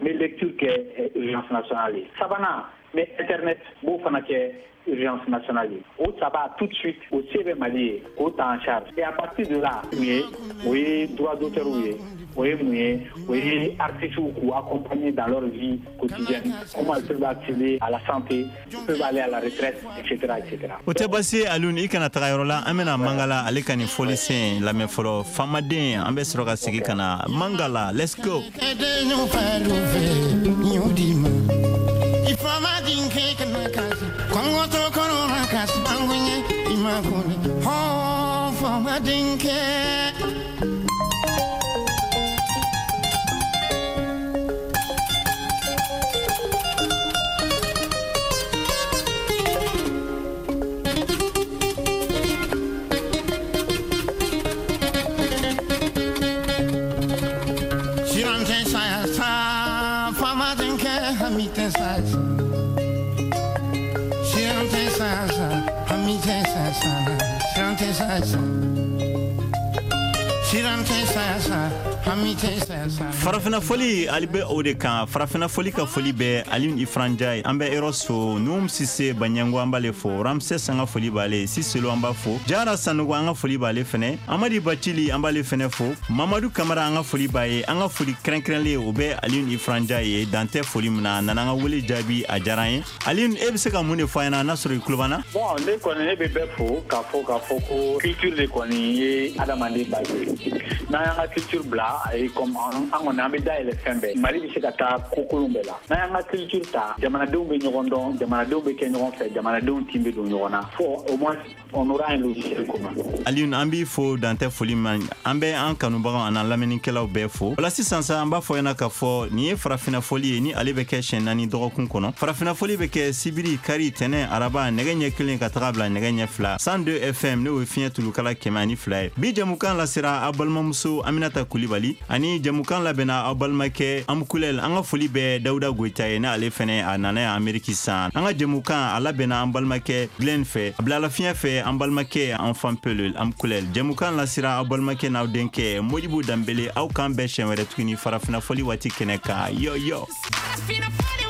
N bɛ lecture kɛ urgence nationale ye. Sabanan, n bɛ internet n b'o fana kɛ urgence nationale ye. O saba, tout de suite, o se bɛ Mali ye k'o ta en charge. Et à partir de là, mun ye, o ye droit d'auteur ye, o ye mun ye, o ye artistes k'u accompagner dans leur vie quotidienne, comment ils peuvent accéder à la santé, ils peuvent aller à la retraite, etc., etc. O tɛ baasi ye, Alioune, i kana taga yɔrɔ la. An bɛna Mangala, ale ka nin fɔlisen lamɛn fɔlɔ. Famaden, an bɛ sɔrɔ ka segin ka na Mangala. Let's go. Ifama dinke kana kasi Kongo to kono na kasi Angunye imakuni Ho fama dinke. Sirante saya sa fama dinke hamite saya sa. Sirante saya sa hamite saya sa. Sirante saya sa. Siran tɛ saya sa, hami tɛ saya sa. Farafina foli ali bɛ o de kan. Farafina foli ka foli bɛ Alioune Ifra Ndiaye, an bɛ Eros fo, Num Sise Banyango an b'ale fo, Ramses an ka foli b'ale, Siselo an b'a fo, Jara Sanogo an ka foli b'ale fɛnɛ, Amadi Bacili an b'ale fɛnɛ fo, Mamadu Kamara an ka foli b'a ye. An ka foli kɛrɛnkɛrɛnlen o bɛ Alioune Ifra Ndiaye ye, dan tɛ foli min na, a nana an ka wele jaabi, a diyara an ye. Alioune, e bɛ se ka mun de fɔ an ɲɛna n'a sɔrɔ i tulo b'an na? Bon, ne kɔni, ne bɛ bɛɛ fo k'a fɔ ko culture de kɔni ye adamaden base ye. N'an y'an ka culture bila, a ye comme an kɔni, an bɛ dayɛlɛ fɛn bɛɛ. Mali bɛ se ka taa kokolon bɛɛ la. N'an y'an ka culture ta, jamanadenw bɛ ɲɔgɔn dɔn, jamanadenw bɛ kɛ ɲɔgɔn fɛ, jamanadenw tin bɛ don ɲɔgɔn na, fo au moins on aura un logiciel commun. Alioune, an b'i fo, dantɛ foli ma. An bɛ an kanubagaw an'an lamɛnnikɛlaw bɛɛ fo. Wala sisan sa, an b'a fɔ ɲɛna k'a fɔ nin ye Farafina fɔli ye, ni ale bɛ kɛ siɲɛ 4 dɔgɔkun kɔnɔ. Farafina fɔli bɛ kɛ sibiri, kari, tɛnɛ, araba, nɛgɛ ɲɛ 1 ka taga bila nɛgɛ ɲɛ 2, 102 FM, n'o ye fiɲɛ tulukala 102 ye. Bi jamukan lasera aw balimamuso Aminata Kulibali ani jamukan labɛnna aw balimakɛ Amukulɛl. An ka foli bɛ Dawuda Goyita ye, n'ale fɛnɛ a nana yan Ameriki sisan. An ka jamukan a labɛnna an balimakɛ Glenn fɛ, a bilala fiɲɛ fɛ an balimakɛ Enfant Pelul Amukulɛl. Jamukan lasera aw balimakɛ n'aw denkɛ Modibo Danbele. Aw k'an bɛɛ siɲɛ wɛrɛ tuguni Farafina fɔli waati kɛnɛ kan. Yo yo. Farafina fɔli.